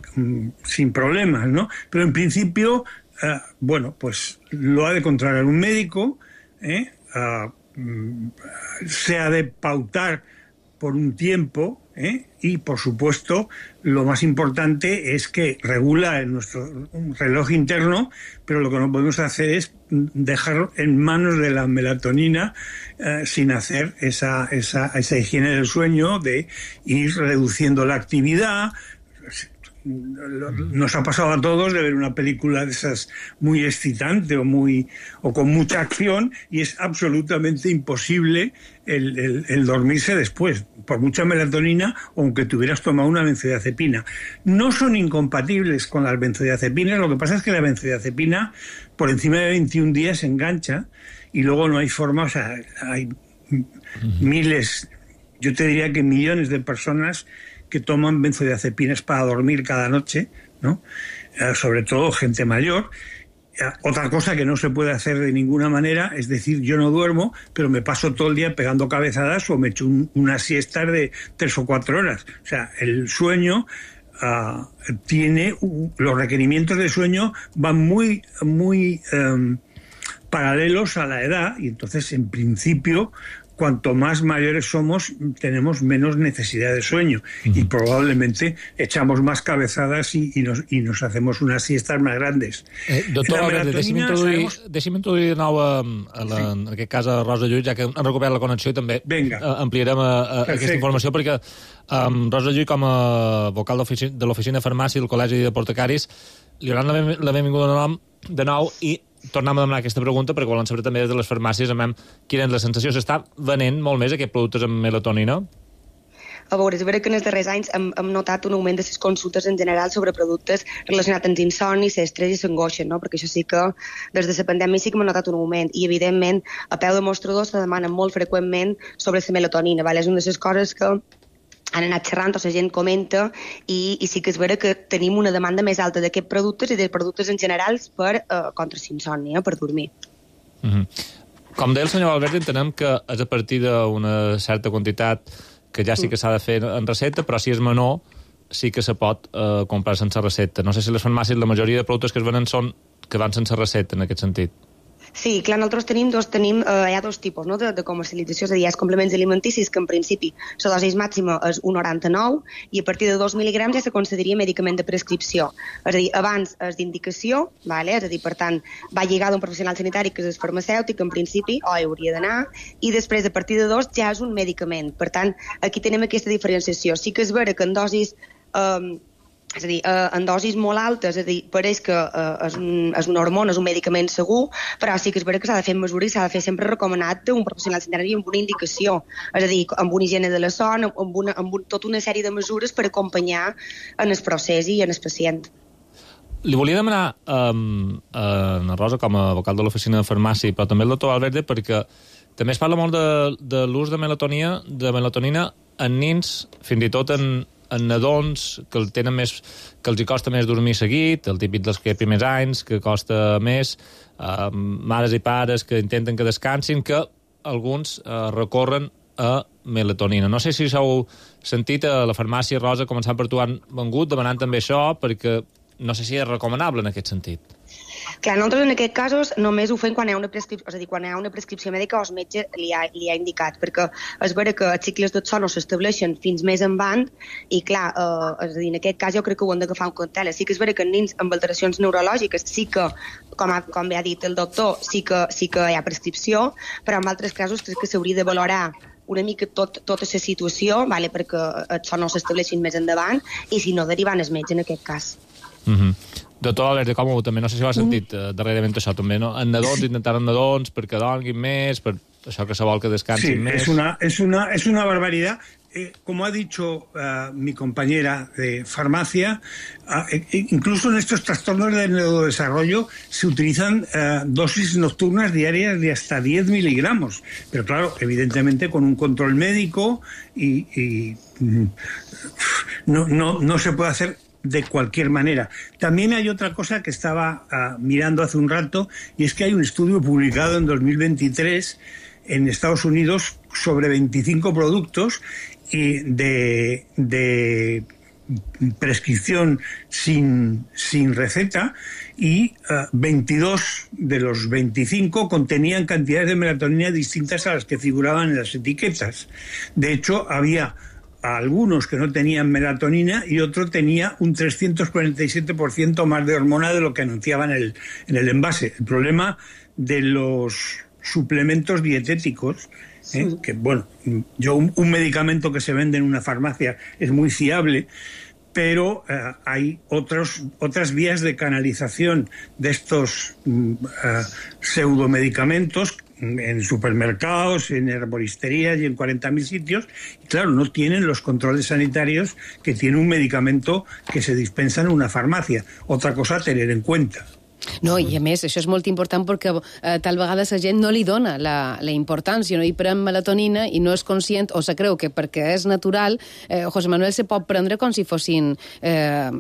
sin problemas, ¿no? Pero en principio, uh, bueno, pues lo ha de controlar un médico, ¿eh? uh, se ha de pautar por un tiempo, ¿eh? Y por supuesto lo más importante es que regula en nuestro reloj interno, pero lo que no podemos hacer es dejar en manos de la melatonina eh, sin hacer esa, esa, esa higiene del sueño, de ir reduciendo la actividad. nos ha pasado a todos de ver una película de esas muy excitante o muy o con mucha acción, y es absolutamente imposible el, el, el dormirse después, por mucha melatonina, aunque tuvieras tomado una benzodiazepina. No son incompatibles con las benzodiazepinas, lo que pasa es que la benzodiazepina por encima de veintiún días se engancha y luego no hay forma, o sea, hay miles, yo te diría que millones de personas que toman benzodiazepinas para dormir cada noche, ¿no? Eh, sobre todo gente mayor. Eh, otra cosa que no se puede hacer de ninguna manera es decir, yo no duermo, pero me paso todo el día pegando cabezadas o me echo un, unas siestas de tres o cuatro horas. O sea, el sueño uh, tiene... Uh, los requerimientos de sueño van muy, muy um, paralelos a la edad, y entonces, en principio, cuanto más mayores somos, tenemos menos necesidad de sueño, uh-huh. y probablemente echamos más cabezadas i, i, nos, i nos hacemos unes siestes més grandes. Eh, doctor Albert, deixi'm introduir, sabemos... deixi'm introduir de nou a, a la, sí. en aquest cas a Rosa Llull, ja que han recuperat la connexió, i també Venga. ampliarem a, a aquesta informació, perquè um, Rosa Llull, com a vocal de l'Oficina de Farmàcia del Col·legi d'Apotecaris, li hauran la, la benvinguda de, nom, de nou, i tornem a demanar aquesta pregunta perquè volen saber també des de les farmàcies amb quina és la sensació. S'està venent molt més aquests productes amb melatonina? A veure, és vera que en els darrers anys hem, hem notat un augment de les consultes en general sobre productes relacionats amb insomni, l'estrès i l'angoixa, no? Perquè això sí que des de la pandèmia sí que hem notat un augment, i evidentment a peu de mostrador se demana molt freqüentment sobre la melatonina, vale? És una de les coses que han anat xerrant, o la gent comenta, i, i sí que és vera que tenim una demanda més alta d'aquests productes i de productes en general per, uh, contra l'insònia, per dormir. Mm-hmm. Com deia el senyor Albert, entenem que és a partir d'una certa quantitat que ja sí que s'ha de fer en recepta, però si és menor sí que se pot uh, comprar sense recepta. No sé si les farmàcies, la majoria de productes que es venen són que van sense recepta, en aquest sentit. Sí, clar, nosaltres tenim dos, tenim, eh, hi ha dos tipus, no?, de, de comercialització, és a dir, hi ha els complements alimenticis, que en principi la dosi màxima és un coma noranta-nou, i a partir de dos mil·ligrams ja se concediria medicament de prescripció. És a dir, abans és d'indicació, vale? És a dir, per tant, va lligat a un professional sanitari que és el farmacèutic, en principi, o hi hauria d'anar, i després, a partir de dos, ja és un medicament. Per tant, aquí tenim aquesta diferenciació. Sí que és vera que en dosis... Eh, és a dir, eh, en dosis molt altes, és a dir, pareix que eh, és, un, és una hormona, és un medicament segur, però sí que és vera que s'ha de fer en mesura i s'ha de fer sempre recomanat d'un professional sanitari amb una indicació, és a dir, amb una higiene de la son, amb, una, amb un, tota una sèrie de mesures per acompanyar en el procés i en el pacient. Li volia demanar um, a Ana Rosa, com a vocal de l'Oficina de Farmàcia, però també el doctor Albert, perquè també es parla molt de, de l'ús de melatonina, de melatonina en nins, fins i tot en en nadons que el tenen més, que els hi costa més dormir seguit, el típic dels que primers anys, que costa més, eh, mares i pares que intenten que descansin, que alguns eh, recorren a melatonina. No sé si s'heu sentit a la farmàcia, Rosa, començant per tu, han vengut demanant també això, perquè no sé si és recomanable en aquest sentit. Clar, nosaltres en aquests casos només ho fem quan hi ha una prescripció, és a dir, quan hi ha una prescripció mèdica o el metge li ha, li ha indicat, perquè és vera que els cicles del son no s'estableixen fins més endavant, i clar, eh, és a dir, en aquest cas jo crec que ho hem d'agafar en compte. Sí que és vera que en nens amb alteracions neurològiques sí que, com, ha, com bé ha dit el doctor, sí que, sí que hi ha prescripció, però en altres casos crec que s'hauria de valorar una mica tot, tota la situació, vale, perquè el son no s'estableixin més endavant, i si no, derivant el metge en aquest cas. Mm-hmm. Doctor Albert, com ho també, no sé si ho ha sentit uh, darrerament això també, no? En nadons, intentar en nadons perquè dormin més, per això que se vol que descansin sí, més. Sí, es una, es una, es una barbaridad. Eh, como ha dicho uh, mi compañera de farmacia, uh, eh, incluso en estos trastornos del neurodesarrollo se utilizan uh, dosis nocturnas diarias de hasta diez miligramos. Pero claro, evidentemente con un control médico y, y mm, no, no, no se puede hacer de cualquier manera. También hay otra cosa que estaba uh, mirando hace un rato, y es que hay un estudio publicado en dos mil veintitrés en Estados Unidos sobre veinticinco productos y de, de prescripción sin, sin receta, y uh, veintidós de los veinticinco contenían cantidades de melatonina distintas a las que figuraban en las etiquetas. De hecho, había algunos que no tenían melatonina y otro tenía un trescientos cuarenta y siete por ciento más de hormona de lo que anunciaba en el, en el envase. El problema de los suplementos dietéticos, ¿eh? Sí. Que bueno, yo un, un medicamento que se vende en una farmacia es muy fiable, pero eh, hay otros, otras vías de canalización de estos eh, pseudomedicamentos en supermercados, en herboristerías y en cuarenta mil sitios, y claro, no tienen los controles sanitarios que tiene un medicamento que se dispensa en una farmacia. Otra cosa a tener en cuenta. No, i a més, això és molt important perquè eh, tal vegada la gent no li dona la, la importància, no hi pren melatonina i no és conscient, o se creu que perquè és natural, eh, José Manuel se pot prendre com si fossin eh,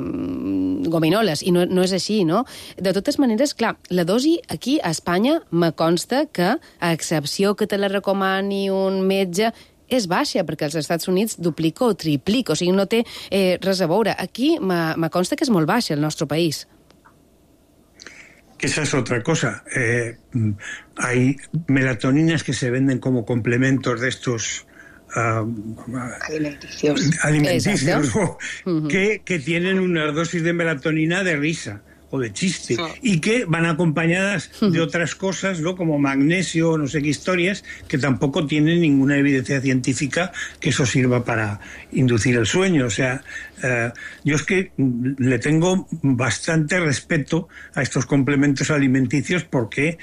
gominoles, i no, no és així, no? De totes maneres, clar, la dosi aquí a Espanya me consta que, a excepció que te la recomani un metge, és baixa, perquè als Estats Units duplica o triplica, o sigui, no té eh, res a veure. Aquí me, me consta que és molt baixa, el nostre país. Que esa es otra cosa. Eh, hay melatoninas que se venden como complementos de estos uh, alimenticios, alimenticios ¿no? uh-huh. que, que tienen unas dosis de melatonina de risa o de chiste, sí. y que van acompañadas uh-huh. de otras cosas, ¿no? Como magnesio, no sé qué historias, que tampoco tienen ninguna evidencia científica que eso sirva para inducir el sueño. O sea, uh, yo es que le tengo bastante respeto a estos complementos alimenticios porque,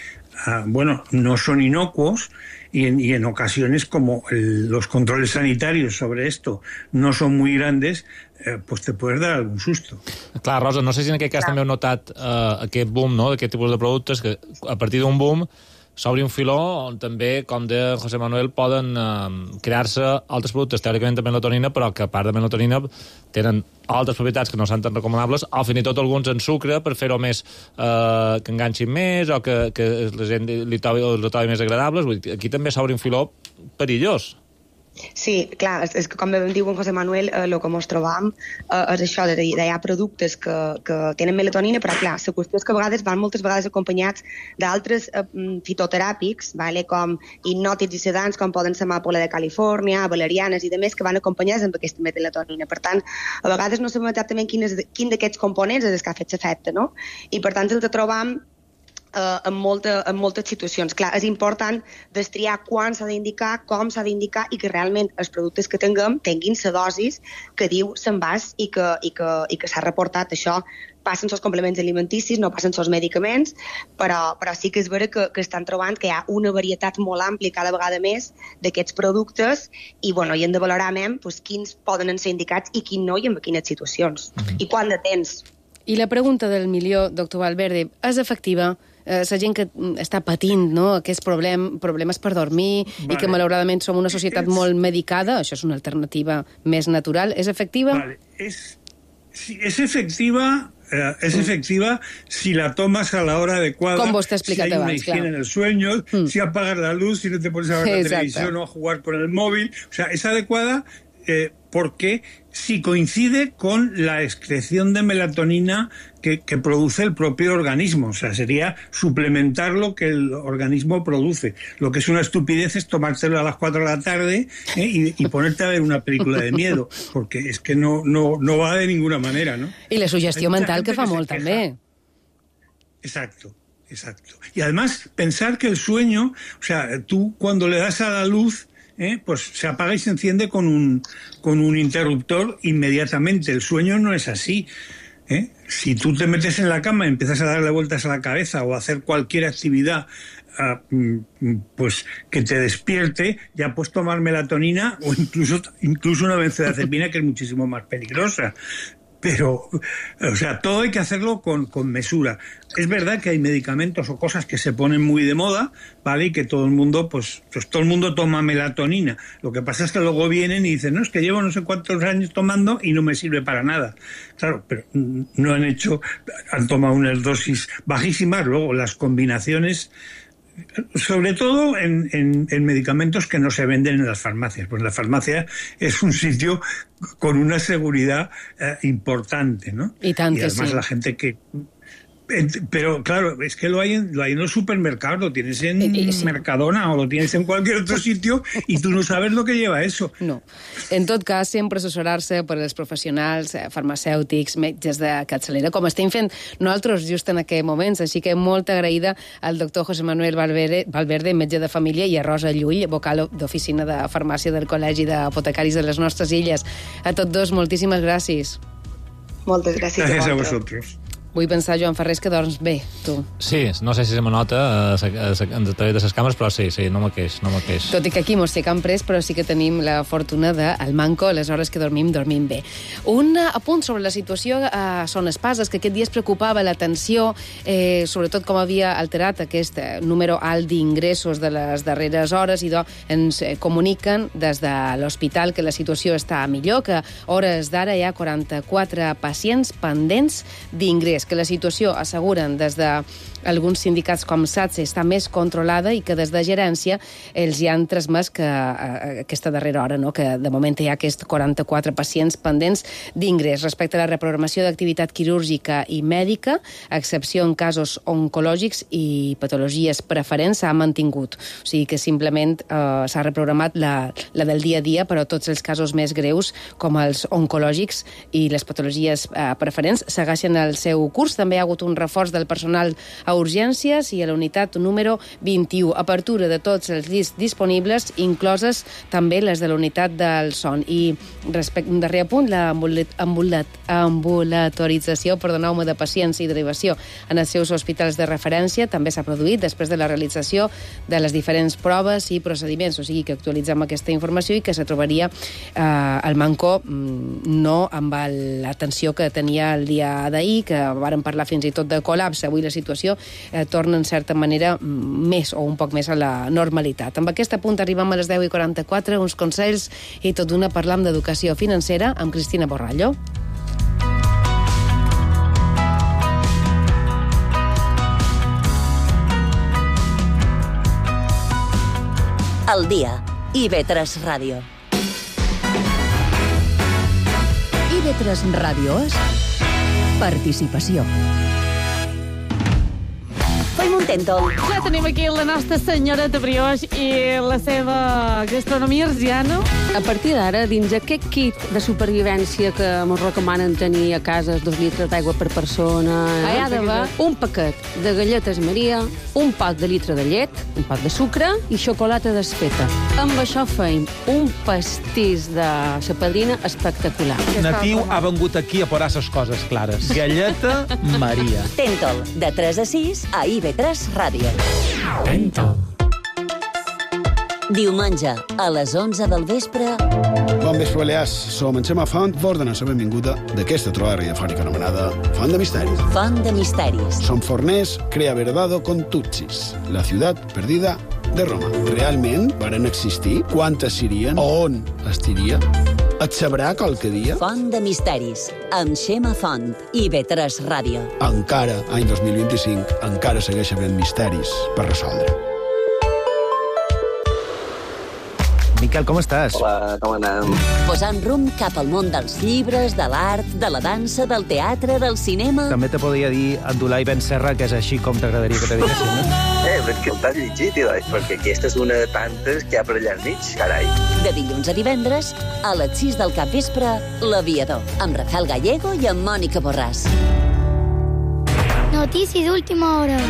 uh, bueno, no son inocuos, y en, y en ocasiones, como el, los controles sanitarios sobre esto no son muy grandes, eh, pues te puedes dar algun susto. Clar, Rosa, no sé si en aquest cas també heu notat eh, aquest boom, no?, d'aquest tipus de productes, que a partir d'un boom s'obri un filó on també, com de José Manuel, poden eh, crear-se altres productes teòricament de melatonina, però que a part de melatonina tenen altres propietats que no són tan recomanables, o fins i tot alguns en sucre per fer-ho més, eh, que enganxin més, o que, que la gent li trobi, li trobi més agradables. Vull dir, aquí també s'obre un filó perillós. Sí, clar, és, és que com diu en José Manuel, el eh, que ens trobam eh, és això, de, de hi ha productes que, que tenen melatonina, però clar, la qüestió és que a vegades van moltes vegades acompanyats d'altres eh, fitoteràpics, vale, com hipnòtics i sedants, com poden ser amàpola de Califòrnia, valerianes i demés, que van acompanyats amb aquesta melatonina. Per tant, a vegades no sabem exactament quin, és, quin d'aquests components és el que ha fet l'efecte, no? I per tant, el que trobam Uh, en, molta, en moltes situacions. Clar, és important destriar quan s'ha d'indicar, com s'ha d'indicar i que realment els productes que tinguem tinguin la dosis que diu s'envàs i que, i que, i que s'ha reportat. Això passen els complements alimenticis, no passen els medicaments, però, però sí que és vera que, que estan trobant que hi ha una varietat molt àmplia cada vegada més d'aquests productes i, bueno, i hem de valorar més pues, quins poden ser indicats i quins no i en quines situacions. Mm-hmm. I quant de temps. I la pregunta del milió, doctor Valverde, és efectiva? Eh, la gent que està patint, no?, aquests problem, problemes per dormir, vale. I que malauradament som una societat es... molt medicada, això és una alternativa més natural, és efectiva? Vale. Es, sí, es efectiva, eh, es efectiva si la tomas a la hora adecuada, com vos t'he explicat si hay abans, una higiene claro. en el sueño, mm. si apagas la luz, si no te pones a ver la Exacte. televisión o a jugar con el móvil, o sea, es adecuada eh, porque si coincide con la excreción de melatonina que, que produce el propio organismo. O sea, sería suplementar lo que el organismo produce. Lo que es una estupidez es tomártelo a las cuatro de la tarde ¿eh? y, y ponerte a ver una película de miedo, porque es que no, no, no va de ninguna manera, ¿no? I la sugestió mental que fa que molt, també. Exacto. Exacto. Y además, pensar que el sueño, o sea, tú cuando le das a la luz, ¿eh? pues se apaga y se enciende con un, con un interruptor inmediatamente. El sueño no es así. ¿eh? Si tú te metes en la cama y empiezas a darle vueltas a la cabeza o a hacer cualquier actividad uh, pues que te despierte, ya puedes tomar melatonina o incluso, incluso una benzodiazepina que es muchísimo más peligrosa. Pero, o sea, todo hay que hacerlo con, con mesura. Es verdad que hay medicamentos o cosas que se ponen muy de moda, ¿vale? Y que todo el mundo, pues, pues todo el mundo toma melatonina. Lo que pasa es que luego vienen y dicen, no, es que llevo no sé cuántos años tomando y no me sirve para nada. Claro, pero no han hecho, han tomado unas dosis bajísimas, luego las combinaciones, sobre todo en, en, en medicamentos que no se venden en las farmacias. Pues la farmacia es un sitio con una seguridad eh, importante, ¿no? Y tanto, y además sí. la gente que... Pero claro, es que lo hay en, lo hay en los supermercados, lo tienes en sí. Mercadona o lo tienes en cualquier otro sitio y tú no sabes lo que lleva eso. No. En tot cas, sempre assessorar-se per als professionals, farmacèutics, metges de capçalera, com estem fent nosaltres just en aquests moments. Així que molt agraïda al doctor José Manuel Valverde, Valverde, metge de família, i a Rosa Llull, vocal d'oficina de farmàcia del Col·legi d'Apotecaris de les nostres illes. A tots dos, moltíssimes gràcies. Moltes gràcies, Gràcies a a vosaltres. vosotros. Vull pensar, Joan Ferrés, que dorms bé, tu. Sí, no sé si se me nota a través de les càmeres, però sí, sí, no me queix, no me queix. Tot i que aquí mos té Can Pres, però sí que tenim la fortuna del manco, a les hores que dormim, dormim bé. Un apunt sobre la situació a Son Espases, que aquest dia es preocupava l'atenció, eh, sobretot com havia alterat aquest número alt d'ingressos de les darreres hores, i do, ens comuniquen des de l'hospital que la situació està millor, que a hores d'ara hi ha quaranta-quatre pacients pendents d'ingrés, que la situació, asseguren des de alguns sindicats com SATSE, està més controlada i que des de gerència els hi han transmès que a, aquesta darrera hora, no? Que de moment hi ha aquests quaranta-quatre pacients pendents d'ingrés. Respecte a la reprogramació d'activitat quirúrgica i mèdica, a excepció en casos oncològics i patologies preferents, s'ha mantingut. O sigui que simplement eh, s'ha reprogramat la, la del dia a dia, però tots els casos més greus, com els oncològics i les patologies eh, preferents, segueixen el seu curs. També hi ha hagut un reforç del personal a urgències i a la unitat número vint-i-u. Apertura de tots els llits disponibles, incloses també les de la unitat del son. I respecte un darrer apunt, la ambulatorització, perdoneu-me, de pacients i derivació en els seus hospitals de referència també s'ha produït després de la realització de les diferents proves i procediments. O sigui que actualitzem aquesta informació i que se trobaria eh, el Manco no amb l'atenció que tenia el dia d'ahir, que vàrem parlar fins i tot de col·lapse. Avui la situació eh, torna en certa manera més o un poc més a la normalitat. Amb aquest punt arribem a les deu i quaranta-quatre, uns consells i tot d'una parlam d'educació financera amb Cristina Borrallo. El dia. I ve tres Ràdio. I ve tres Ràdio és participació. Fem un tèntol. Ja tenim aquí la nostra senyoreta Brioix i la seva gastronomia arsiana. A partir d'ara, dins aquest kit de supervivència que ens recomanen tenir a casa, dos litres d'aigua per persona, hi ha d'haver un paquet de galletes Maria, un pot de litre de llet, un pot de sucre i xocolata desfeta. Amb això feim un pastís de sa padrina espectacular. Natiu ha vengut aquí a posar ses coses clares. Galleta Maria. Tèntol, de tres a sis, a I V tres Ràdio. Tèntol. Diumenge, a les onze del vespre... Bon vespre, Balears. Som en Xema Font, vos donem la benvinguda d'aquesta trobada radiofònica anomenada Font de Misteris. Font de Misteris. Som forners, crea verdado con Tutsis, la ciutat perdida de Roma. Realment varen existir? Quantes serien? On estiria? Et sabrà qualque dia? Font de Misteris, amb Xema Font, I V tres Ràdio. Encara, any dos mil vint-i-cinc, encara segueix havent misteris per resoldre. Miquel, com estàs? Hola, com anem? Posant rumb cap al món dels llibres, de l'art, de la dansa, del teatre, del cinema... També te podria dir Abdulai Ben Serra, que és així com t'agradaria que te diguessin, no? Eh, però és que t'has llegit, Eloi, perquè aquesta és una de tantes que hi ha per allà al mig, carai. De dilluns a divendres, a les sis del capvespre, L'Aviador, amb Rafael Gallego i amb Mònica Borràs. Notícies d'última hora.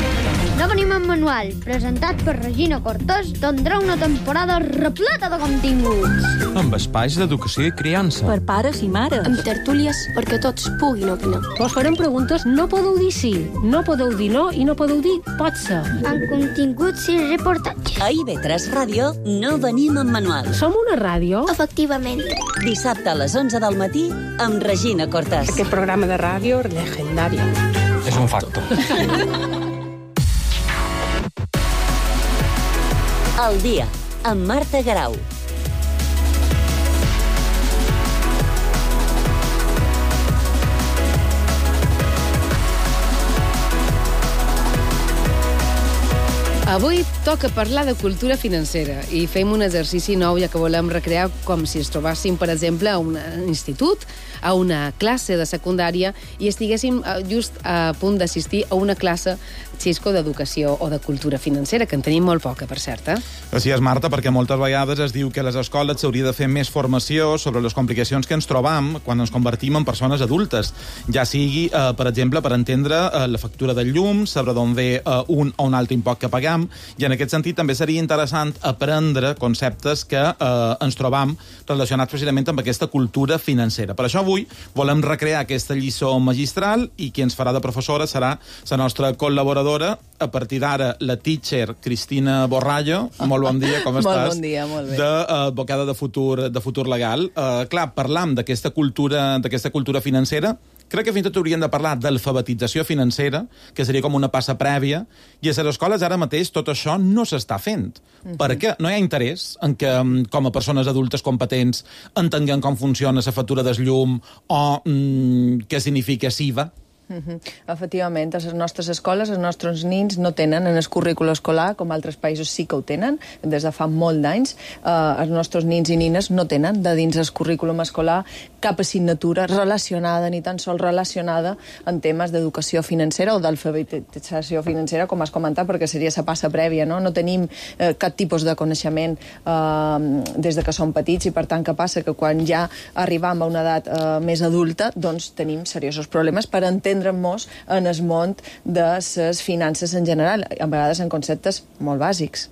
No venim en manual, presentat per Regina Cortés, tindrà una temporada repleta de continguts. Amb espais d'educació i criança. Per pares i mares. Amb tertúlies perquè tots puguin opinar. Vos farem preguntes, no podeu dir sí, no podeu dir no i no podeu dir pot ser. Amb continguts i reportatges. A I V tres Ràdio no venim en manual. Som una ràdio? Efectivament. Dissabte a les onze del matí amb Regina Cortés. Aquest programa de ràdio legendari. És un facto. El dia, amb Marta Garau. Avui toca parlar de cultura financera i fem un exercici nou, ja que volem recrear com si ens trobàssim, per exemple, a un institut, a una classe de secundària i estiguéssim just a punt d'assistir a una classe, Xisco, d'educació o de cultura financera, que en tenim molt poca, per cert, eh? Així és, Marta, perquè moltes vegades es diu que a les escoles s'hauria de fer més formació sobre les complicacions que ens trobam quan ens convertim en persones adultes, ja sigui, eh, per exemple, per entendre eh, la factura del llum, saber d'on ve eh, un o un altre impost que pagam, i en en aquest sentit també seria interessant aprendre conceptes que eh, ens trobam relacionats precisament amb aquesta cultura financera. Per això avui volem recrear aquesta lliçó magistral i qui ens farà de professora serà la nostra col·laboradora, a partir d'ara la teacher Cristina Borrallo. Molt bon dia, com estàs? Molt bon dia, molt bé. D'advocada de futur, de futur legal. Uh, clar, parlam d'aquesta cultura, d'aquesta cultura financera. Crec que fins i tot hauríem de parlar d'alfabetització financera, que seria com una passa prèvia, i a les escoles ara mateix tot això no s'està fent. Uh-huh. Perquè no hi ha interès en que, com a persones adultes competents, entenguem com funciona la factura del llum o mm, què significa S I V A. Uh-huh. Efectivament, a les nostres escoles els nostres nins no tenen en el currícul escolar, com altres països sí que ho tenen, des de fa molt d'anys. Uh, els nostres nins i nines no tenen de dins el currículum escolar cap assignatura relacionada, ni tan sols relacionada en temes d'educació financera o d'alfabetització financera, com has comentat, perquè seria la passa prèvia, no? No tenim eh, cap tipus de coneixement eh, des de que som petits, i per tant, què passa? Que quan ja arribam a una edat eh, més adulta, doncs tenim seriosos problemes per entendre entendre'm-nos en el món de les finances en general, a vegades en conceptes molt bàsics.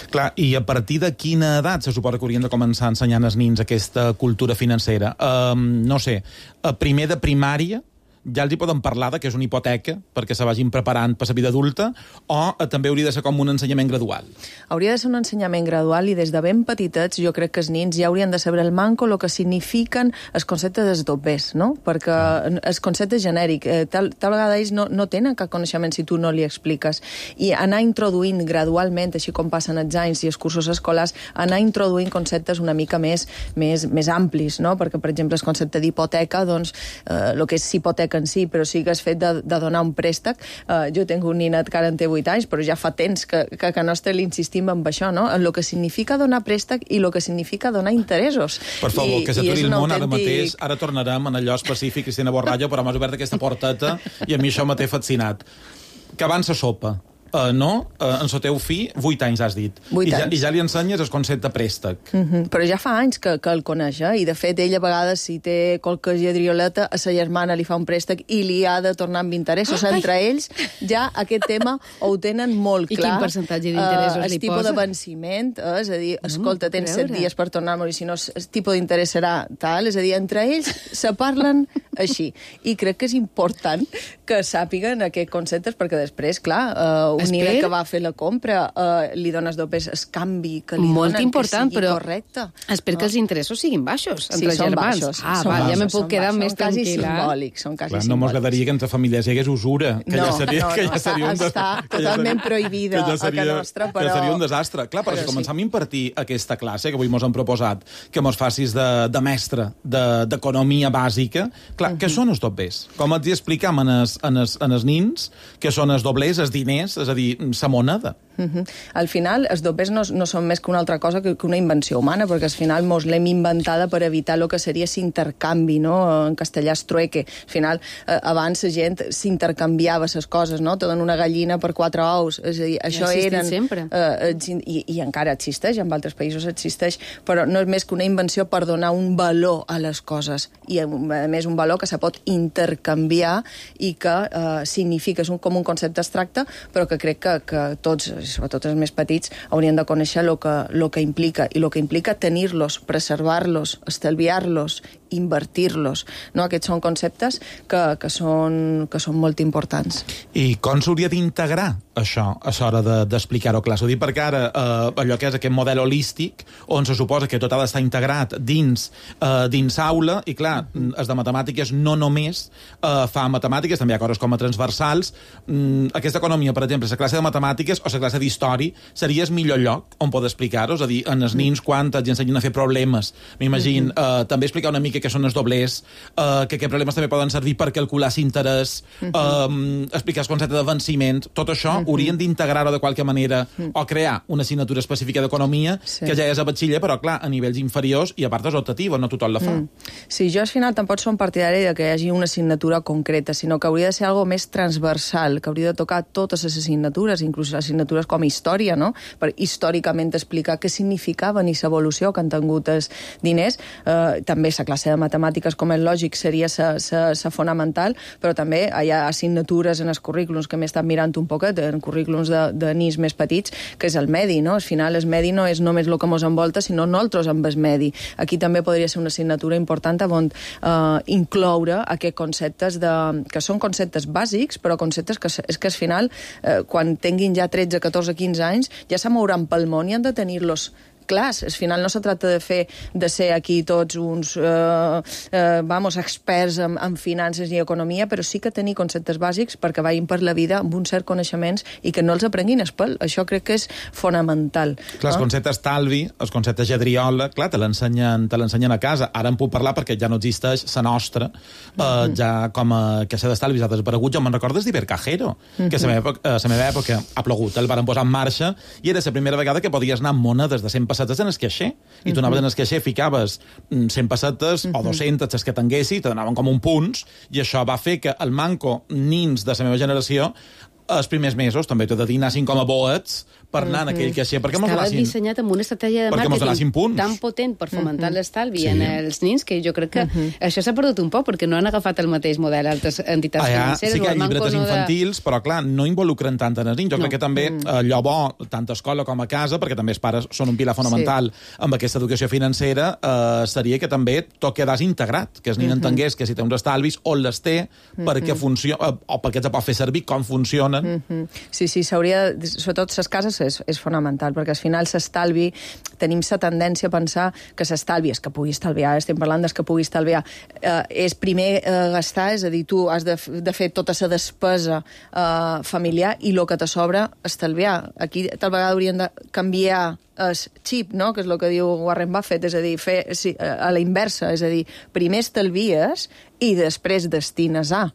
Clar, i a partir de quina edat se suposa que haurien de començar ensenyant als nins aquesta cultura financera? Um, no sé, a primer de primària ja els hi poden parlar de que és una hipoteca perquè se vagin preparant per la vida adulta, o eh, també hauria de ser com un ensenyament gradual? Hauria de ser un ensenyament gradual, i des de ben petitets jo crec que els nins ja haurien de saber el manco el que signifiquen els conceptes dels dobbers, no? Perquè ah. el concepte genèric, eh, tal, tal vegada ells no, no tenen cap coneixement si tu no li expliques, i anar introduint gradualment, així com passen els anys i els cursos escolars, anar introduint conceptes una mica més, més, més amplis, no? Perquè, per exemple, el concepte d'hipoteca, doncs, eh, el que és hipoteca en si, però sí que és fet de, de donar un préstec. Uh, jo tinc un ninet que ara en té vuit anys, però ja fa temps que, que, que nostre l'insistim en això, no? En el que significa donar préstec i el que significa donar interessos. Per favor, I, que s'aturi el món autèntic... ara mateix. Ara tornarem en allò específic, Cristina Borrallo, però m'has obert aquesta porteta i a mi això m'ha fascinat. Que abans la sopa. Uh, no, uh, en el teu fill, vuit anys has dit. I ja, I ja li ensenyes el concepte préstec. Uh -huh. Però ja fa anys que, que el coneix, eh? I de fet ell a vegades, si té qualque lladrioleta, a sa germana li fa un préstec i li ha de tornar amb interessos. Ai. Entre ells ja aquest tema ho tenen molt clar. I quin percentatge d'interessos uh, li posa? El tipus de venciment, eh? És a dir, no, escolta, tens set dies per tornar-me, i si no, el tipus d'interès serà tal. És a dir, entre ells se parlen així. I crec que és important que sàpiguen aquests conceptes, perquè després, clar, uh, un nivell que va fer la compra, uh, li dones dobbers el canvi que li molt donen, important, que sigui però correcte. Espero no? que els interessos siguin baixos entre sí, són germans. Baixos, ah, són val, baixos, ja me puc quedar més tranquil·la. Són quasi simbòlics, són quasi Clar, simbòlics. no mos agradaria que entre famílies hi hagués usura, que no, ja seria, no, no, que ja seria un està totalment ja prohibida ja seria, a casa nostra, però... Que seria un desastre. Clar, però, però si començam sí. a impartir aquesta classe, que avui mos han proposat que mos facis de, de mestre d'economia de, bàsica, clar, uh -huh. què són els doblers? Com els hi explicam en els, en els, en els nins què són els doblers, els diners, és a dir, sa moneda? Uh -huh. Al final, els dobbers no, no són més que una altra cosa que, que una invenció humana, perquè al final mos l'hem inventada per evitar el que seria l'intercanvi, no? En castellà és trueque. Al final, eh, abans la gent s'intercanviava les coses, no? Te donen una gallina per quatre ous. És a dir, això eren... sempre. Eh, i, I encara existeix, en altres països existeix, però no és més que una invenció per donar un valor a les coses. I, a més, un valor que se pot intercanviar i que eh, significa, és un, com un concepte abstracte, però que crec que, que tots, sobretot els més petits, haurien de conèixer el que, lo que implica, i el que implica tenir-los, preservar-los, estalviar-los, invertir-los. No? Aquests són conceptes que, que, són, que són molt importants. I com s'hauria d'integrar això a l'hora d'explicar-ho clar? S'ho dic perquè ara eh, allò que és aquest model holístic, on se suposa que tot ha d'estar integrat dins, eh, dins aula, i clar, mm. els de matemàtiques no només eh, fa matemàtiques, també hi ha coses com a transversals. Mm, aquesta economia, per exemple, la classe de matemàtiques o la classe d'història seria el millor lloc on poder explicar-ho, és a dir, en els nins quan els ensenyen a fer problemes. M'imagino, mm-hmm. eh, també explicar una mica què són els doblers, eh, que aquests problemes també poden servir per calcular l'interès, mm-hmm. eh, explicar el concepte de venciment, tot això mm-hmm. haurien d'integrar-ho de qualque manera mm. o crear una assignatura específica d'economia sí. que ja és a batxiller, però clar, a nivells inferiors i a part és optativa, no tothom la fa. Mm. Sí, jo al final tampoc som partidari de que hi hagi una assignatura concreta, sinó que hauria de ser algo més transversal, que hauria de tocar totes les assignatures, inclús les assignatures pel·lícules com Història, no? Per històricament explicar què significaven i l'evolució que han tingut els diners. Eh, també la classe de matemàtiques, com és lògic, seria la fonamental, però també hi ha assignatures en els currículums que m'he estat mirant un poquet, en currículums de, de nins més petits, que és el medi, no? Al final, el medi no és només el que ens envolta, sinó nosaltres amb el medi. Aquí també podria ser una assignatura important on eh, incloure aquests conceptes de, que són conceptes bàsics, però conceptes que és que al final, eh, quan tinguin ja tretze, catorze, quinze anys, ja se mouran pel món i han de tenir-los clars. Al final no se tracta de fer de ser aquí tots uns eh, eh, vamos, experts en, en finances i economia, però sí que tenir conceptes bàsics perquè vagin per la vida amb uns certs coneixements i que no els aprenguin espel. Això crec que és fonamental. Clar, els conceptes talvi, els conceptes lladriola, clar, te l'ensenyen te l'ensenyen a casa. Ara en puc parlar perquè ja no existeix la nostra, eh, mm-hmm. ja com a caixa d'estalvis ha desaparegut. Jo me'n recordes d'Ibercajero, mm-hmm. que a la meva, a la meva època ha plogut, el varen posar en marxa i era la primera vegada que podies anar amb monedes de cent pessetes en el caixer. I tu anaves en el caixer, ficaves cent pessetes o dues-centes, les que tinguessis, te donaven com un punts, i això va fer que el manco nins de la meva generació els primers mesos, també t'he de dir, anassin com a boets per anar en aquell caixer. Estava dissenyat amb una estratègia de màrqueting tan potent per fomentar uh-huh. l'estalvi sí. en els nins que jo crec que uh-huh. això s'ha perdut un poc perquè no han agafat el mateix model altres entitats ah, financeres. Sí que hi ha llibretes infantils, de... però clar, no involucren tant en els nins. Jo no. crec que també uh-huh. allò bo, tant a escola com a casa, perquè també els pares són un pilar fonamental sí. amb aquesta educació financera, eh, seria que també tot quedàs integrat, que el nin uh-huh. entengués que si té uns estalvis, on les té, uh-huh. perquè funciona, o perquè els pot fer servir, com funcionen. Uh-huh. Sí, sí, s'hauria... Sobretot les cases és, és fonamental, perquè al final s'estalvi, tenim la tendència a pensar que s'estalvi, és que pugui estalviar, estem parlant des que pugui estalviar, eh, és primer eh, gastar, és a dir, tu has de, de fer tota la despesa eh, familiar i el que te sobra estalviar. Aquí tal vegada hauríem de canviar el xip, no? Que és el que diu Warren Buffett, és a dir, fer sí, a la inversa, és a dir, primer estalvies i després destines a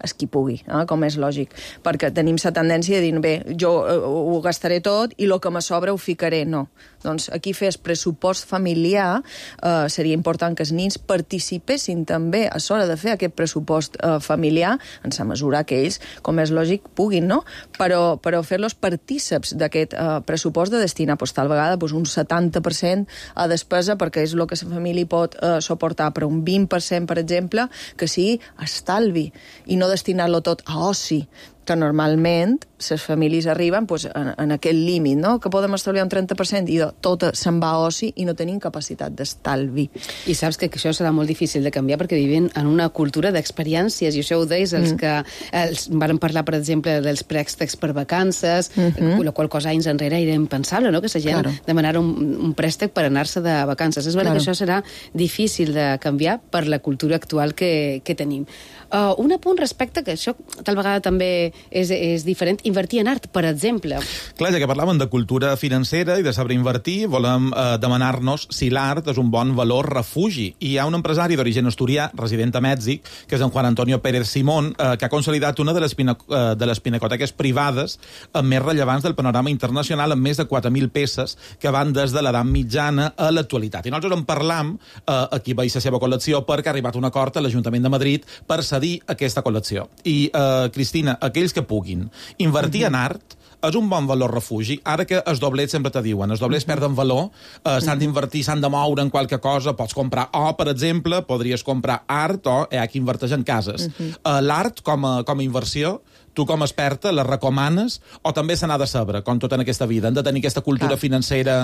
es qui pugui, eh? Com és lògic, perquè tenim la tendència de dir, bé, jo eh, ho gastaré tot i el que me sobra ho ficaré, no. Doncs aquí fer el pressupost familiar eh, seria important que els nins participessin també a l'hora de fer aquest pressupost eh, familiar en la mesura que ells, com és lògic, puguin, no? Però, però fer-los partíceps d'aquest eh, pressupost de destinar, doncs, tal vegada doncs, un setanta per cent a despesa perquè és el que la família pot eh, suportar, però un vint per cent, per exemple, que sigui estalvi i no destinar-lo tot a oci, que normalment les famílies arriben pues, en, en aquest límit, no? Que podem estalviar un trenta per cent i tot se'n va a oci i no tenim capacitat d'estalvi. I saps que això serà molt difícil de canviar perquè vivim en una cultura d'experiències, i això ho deies, els mm. que els, van parlar, per exemple, dels préstecs per vacances, mm-hmm. la qual cosa anys enrere era impensable, no? Que la gent claro. demanara un, un préstec per anar-se de vacances. És veritat claro. que això serà difícil de canviar per la cultura actual que, que tenim. Uh, un apunt respecte, que això tal vegada també és, és diferent, invertir en art, per exemple. Clar, ja que parlàvem de cultura financera i de saber invertir, volem eh, demanar-nos si l'art és un bon valor refugi. I hi ha un empresari d'origen asturià, resident a Mèxic, que és en Juan Antonio Pérez Simón, eh, que ha consolidat una de les, pinac eh, de les pinacoteques privades eh, més rellevants del panorama internacional, amb més de quatre mil peces que van des de l'edat mitjana a l'actualitat. I nosaltres en parlam, eh, aquí veig la seva col·lecció, perquè ha arribat un acord a l'Ajuntament de Madrid per cedir aquesta col·lecció. I, eh, Cristina, aquells que puguin invertir uh-huh. en art és un bon valor refugi. Ara que els doblets sempre te diuen, els doblets uh-huh. perden valor, eh, s'han d'invertir, s'han de moure en qualque cosa, pots comprar o, per exemple, podries comprar art o hi ha qui inverteix en cases. Uh-huh. Eh, l'art com a, com a inversió, tu com a experta la recomanes o també se n'ha de saber, com tot en aquesta vida? Han de tenir aquesta cultura Clar. financera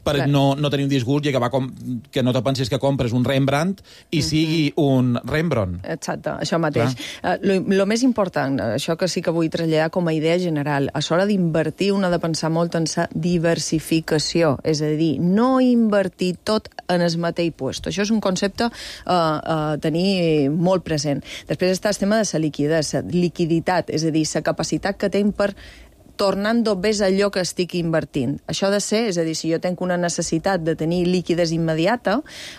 per Clar. no, no tenir un disgust i acabar com, que no te pensis que compres un Rembrandt i sigui un Rembrandt. Exacte, això mateix. El uh, lo més important, això que sí que vull traslladar com a idea general, a l'hora d'invertir un ha de pensar molt en la diversificació, és a dir, no invertir tot en el mateix puesto. Això és un concepte a uh, uh, tenir molt present. Després està el tema de la liquiditat, liquiditat, és a dir, la capacitat que tenc per tornant ves allò que estic invertint. Això ha de ser, és a dir, si jo tenc una necessitat de tenir líquides immediata,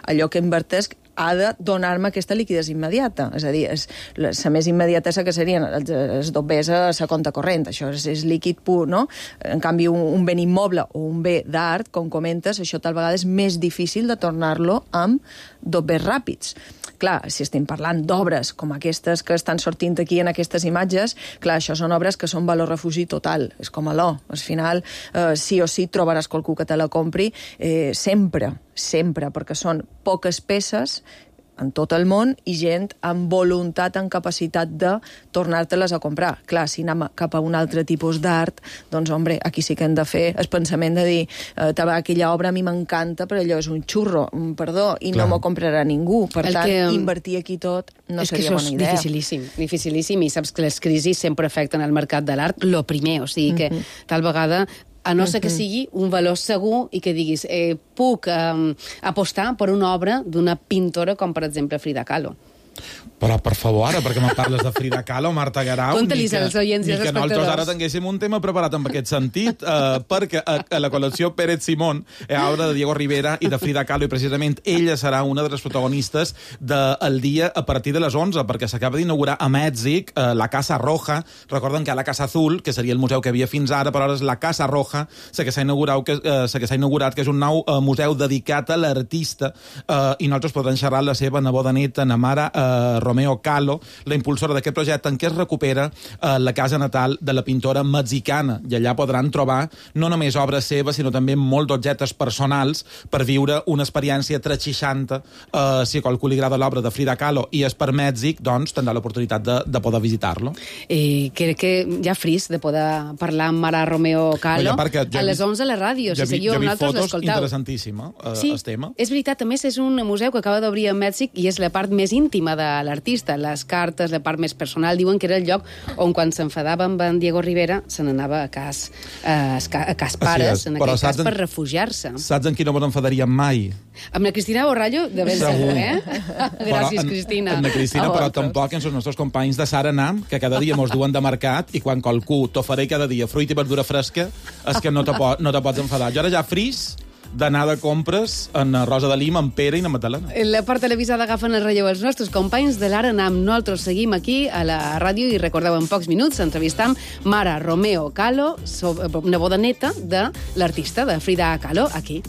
allò que invertesc ha de donar-me aquesta liquiditat immediata. És a dir, és, la, la més immediata que serien els, els dobbers a la compte corrent. Això és, és líquid pur, no? En canvi, un, un bé immoble o un bé d'art, com comentes, això tal vegada és més difícil de tornar-lo amb dobbers ràpids. Clar, si estem parlant d'obres com aquestes que estan sortint aquí en aquestes imatges, clar, això són obres que són valor refugi total. És com a l'O. Al final, eh, sí o sí trobaràs qualcú que te la compri eh, sempre, sempre, perquè són poques peces en tot el món i gent amb voluntat, amb capacitat de tornar-te-les a comprar. Clar, si anem cap a un altre tipus d'art, doncs, hombre, aquí sí que hem de fer el pensament de dir eh, aquella obra a mi m'encanta, però allò és un xurro, perdó, i Clar. no m'ho comprarà ningú. Per el tant, que, invertir aquí tot no seria bona idea. És que això és dificilíssim, dificilíssim, i saps que les crisis sempre afecten el mercat de l'art, lo primer, o sigui que mm-hmm. tal vegada a no ser que sigui un valor segur i que diguis, eh, puc eh, apostar per una obra d'una pintora com, per exemple, Frida Kahlo. Però, per favor, ara, perquè me parles de Frida Kahlo, Marta Garau, Conta-lis als oients i als espectadors. Ni que nosaltres ara tinguéssim un tema preparat en aquest sentit, eh, perquè a, a la col·lecció Pérez Simón hi ha obra de Diego Rivera i de Frida Kahlo, i precisament ella serà una de les protagonistes del dia a partir de les onze, perquè s'acaba d'inaugurar a Mèxic eh, la Casa Roja. Recorden que hi ha la Casa Azul, que seria el museu que havia fins ara, però ara és la Casa Roja, la que s'ha inaugurat, que, eh, que s'ha inaugurat, que és un nou eh, museu dedicat a l'artista, eh, i nosaltres podem xerrar la seva neboda neta, Namara eh, Romeo Kahlo, la impulsora d'aquest projecte en què es recupera eh, la casa natal de la pintora mexicana, i allà podran trobar no només obres seves, sinó també molts objectes personals per viure una experiència tres seixanta. Eh, si a qualcú li agrada l'obra de Frida Kahlo i és per Mèxic, doncs tindrà l'oportunitat de, de poder visitar-lo. I crec que ja fris de poder parlar amb Mara Romeo Kahlo ja a les onze a la ràdio. Ja si seguiu ja amb nosaltres, l'escolteu. l'escolteu. Interessantíssima, eh, sí, el tema. És veritat, a més és un museu que acaba d'obrir a Mèxic i és la part més íntima de l'artista, les cartes, la part més personal. Diuen que era el lloc on quan s'enfadava amb en Diego Rivera se n'anava a cas, a, a cas pares, en aquell cas, per refugiar-se. Saps en qui no ens enfadaríem mai? Amb la Cristina Borrallo, de ben segur, eh? Gràcies, Cristina. Amb la Cristina, però tampoc amb els nostres companys de Saranam, que cada dia mos duen de mercat, i quan qualcú t'ofereix cada dia fruita i verdura fresca, és que no te, po no te pots enfadar. Jo ara ja fris d'anar de compres en Rosa de Lima, en Pere i en Magdalena. La part televisada agafen el relleu els nostres companys de l'Aranam. Nosaltres seguim aquí a la ràdio i recordeu en pocs minuts entrevistam Mara Romeo Kahlo, neboda neta de l'artista de Frida Kahlo, aquí.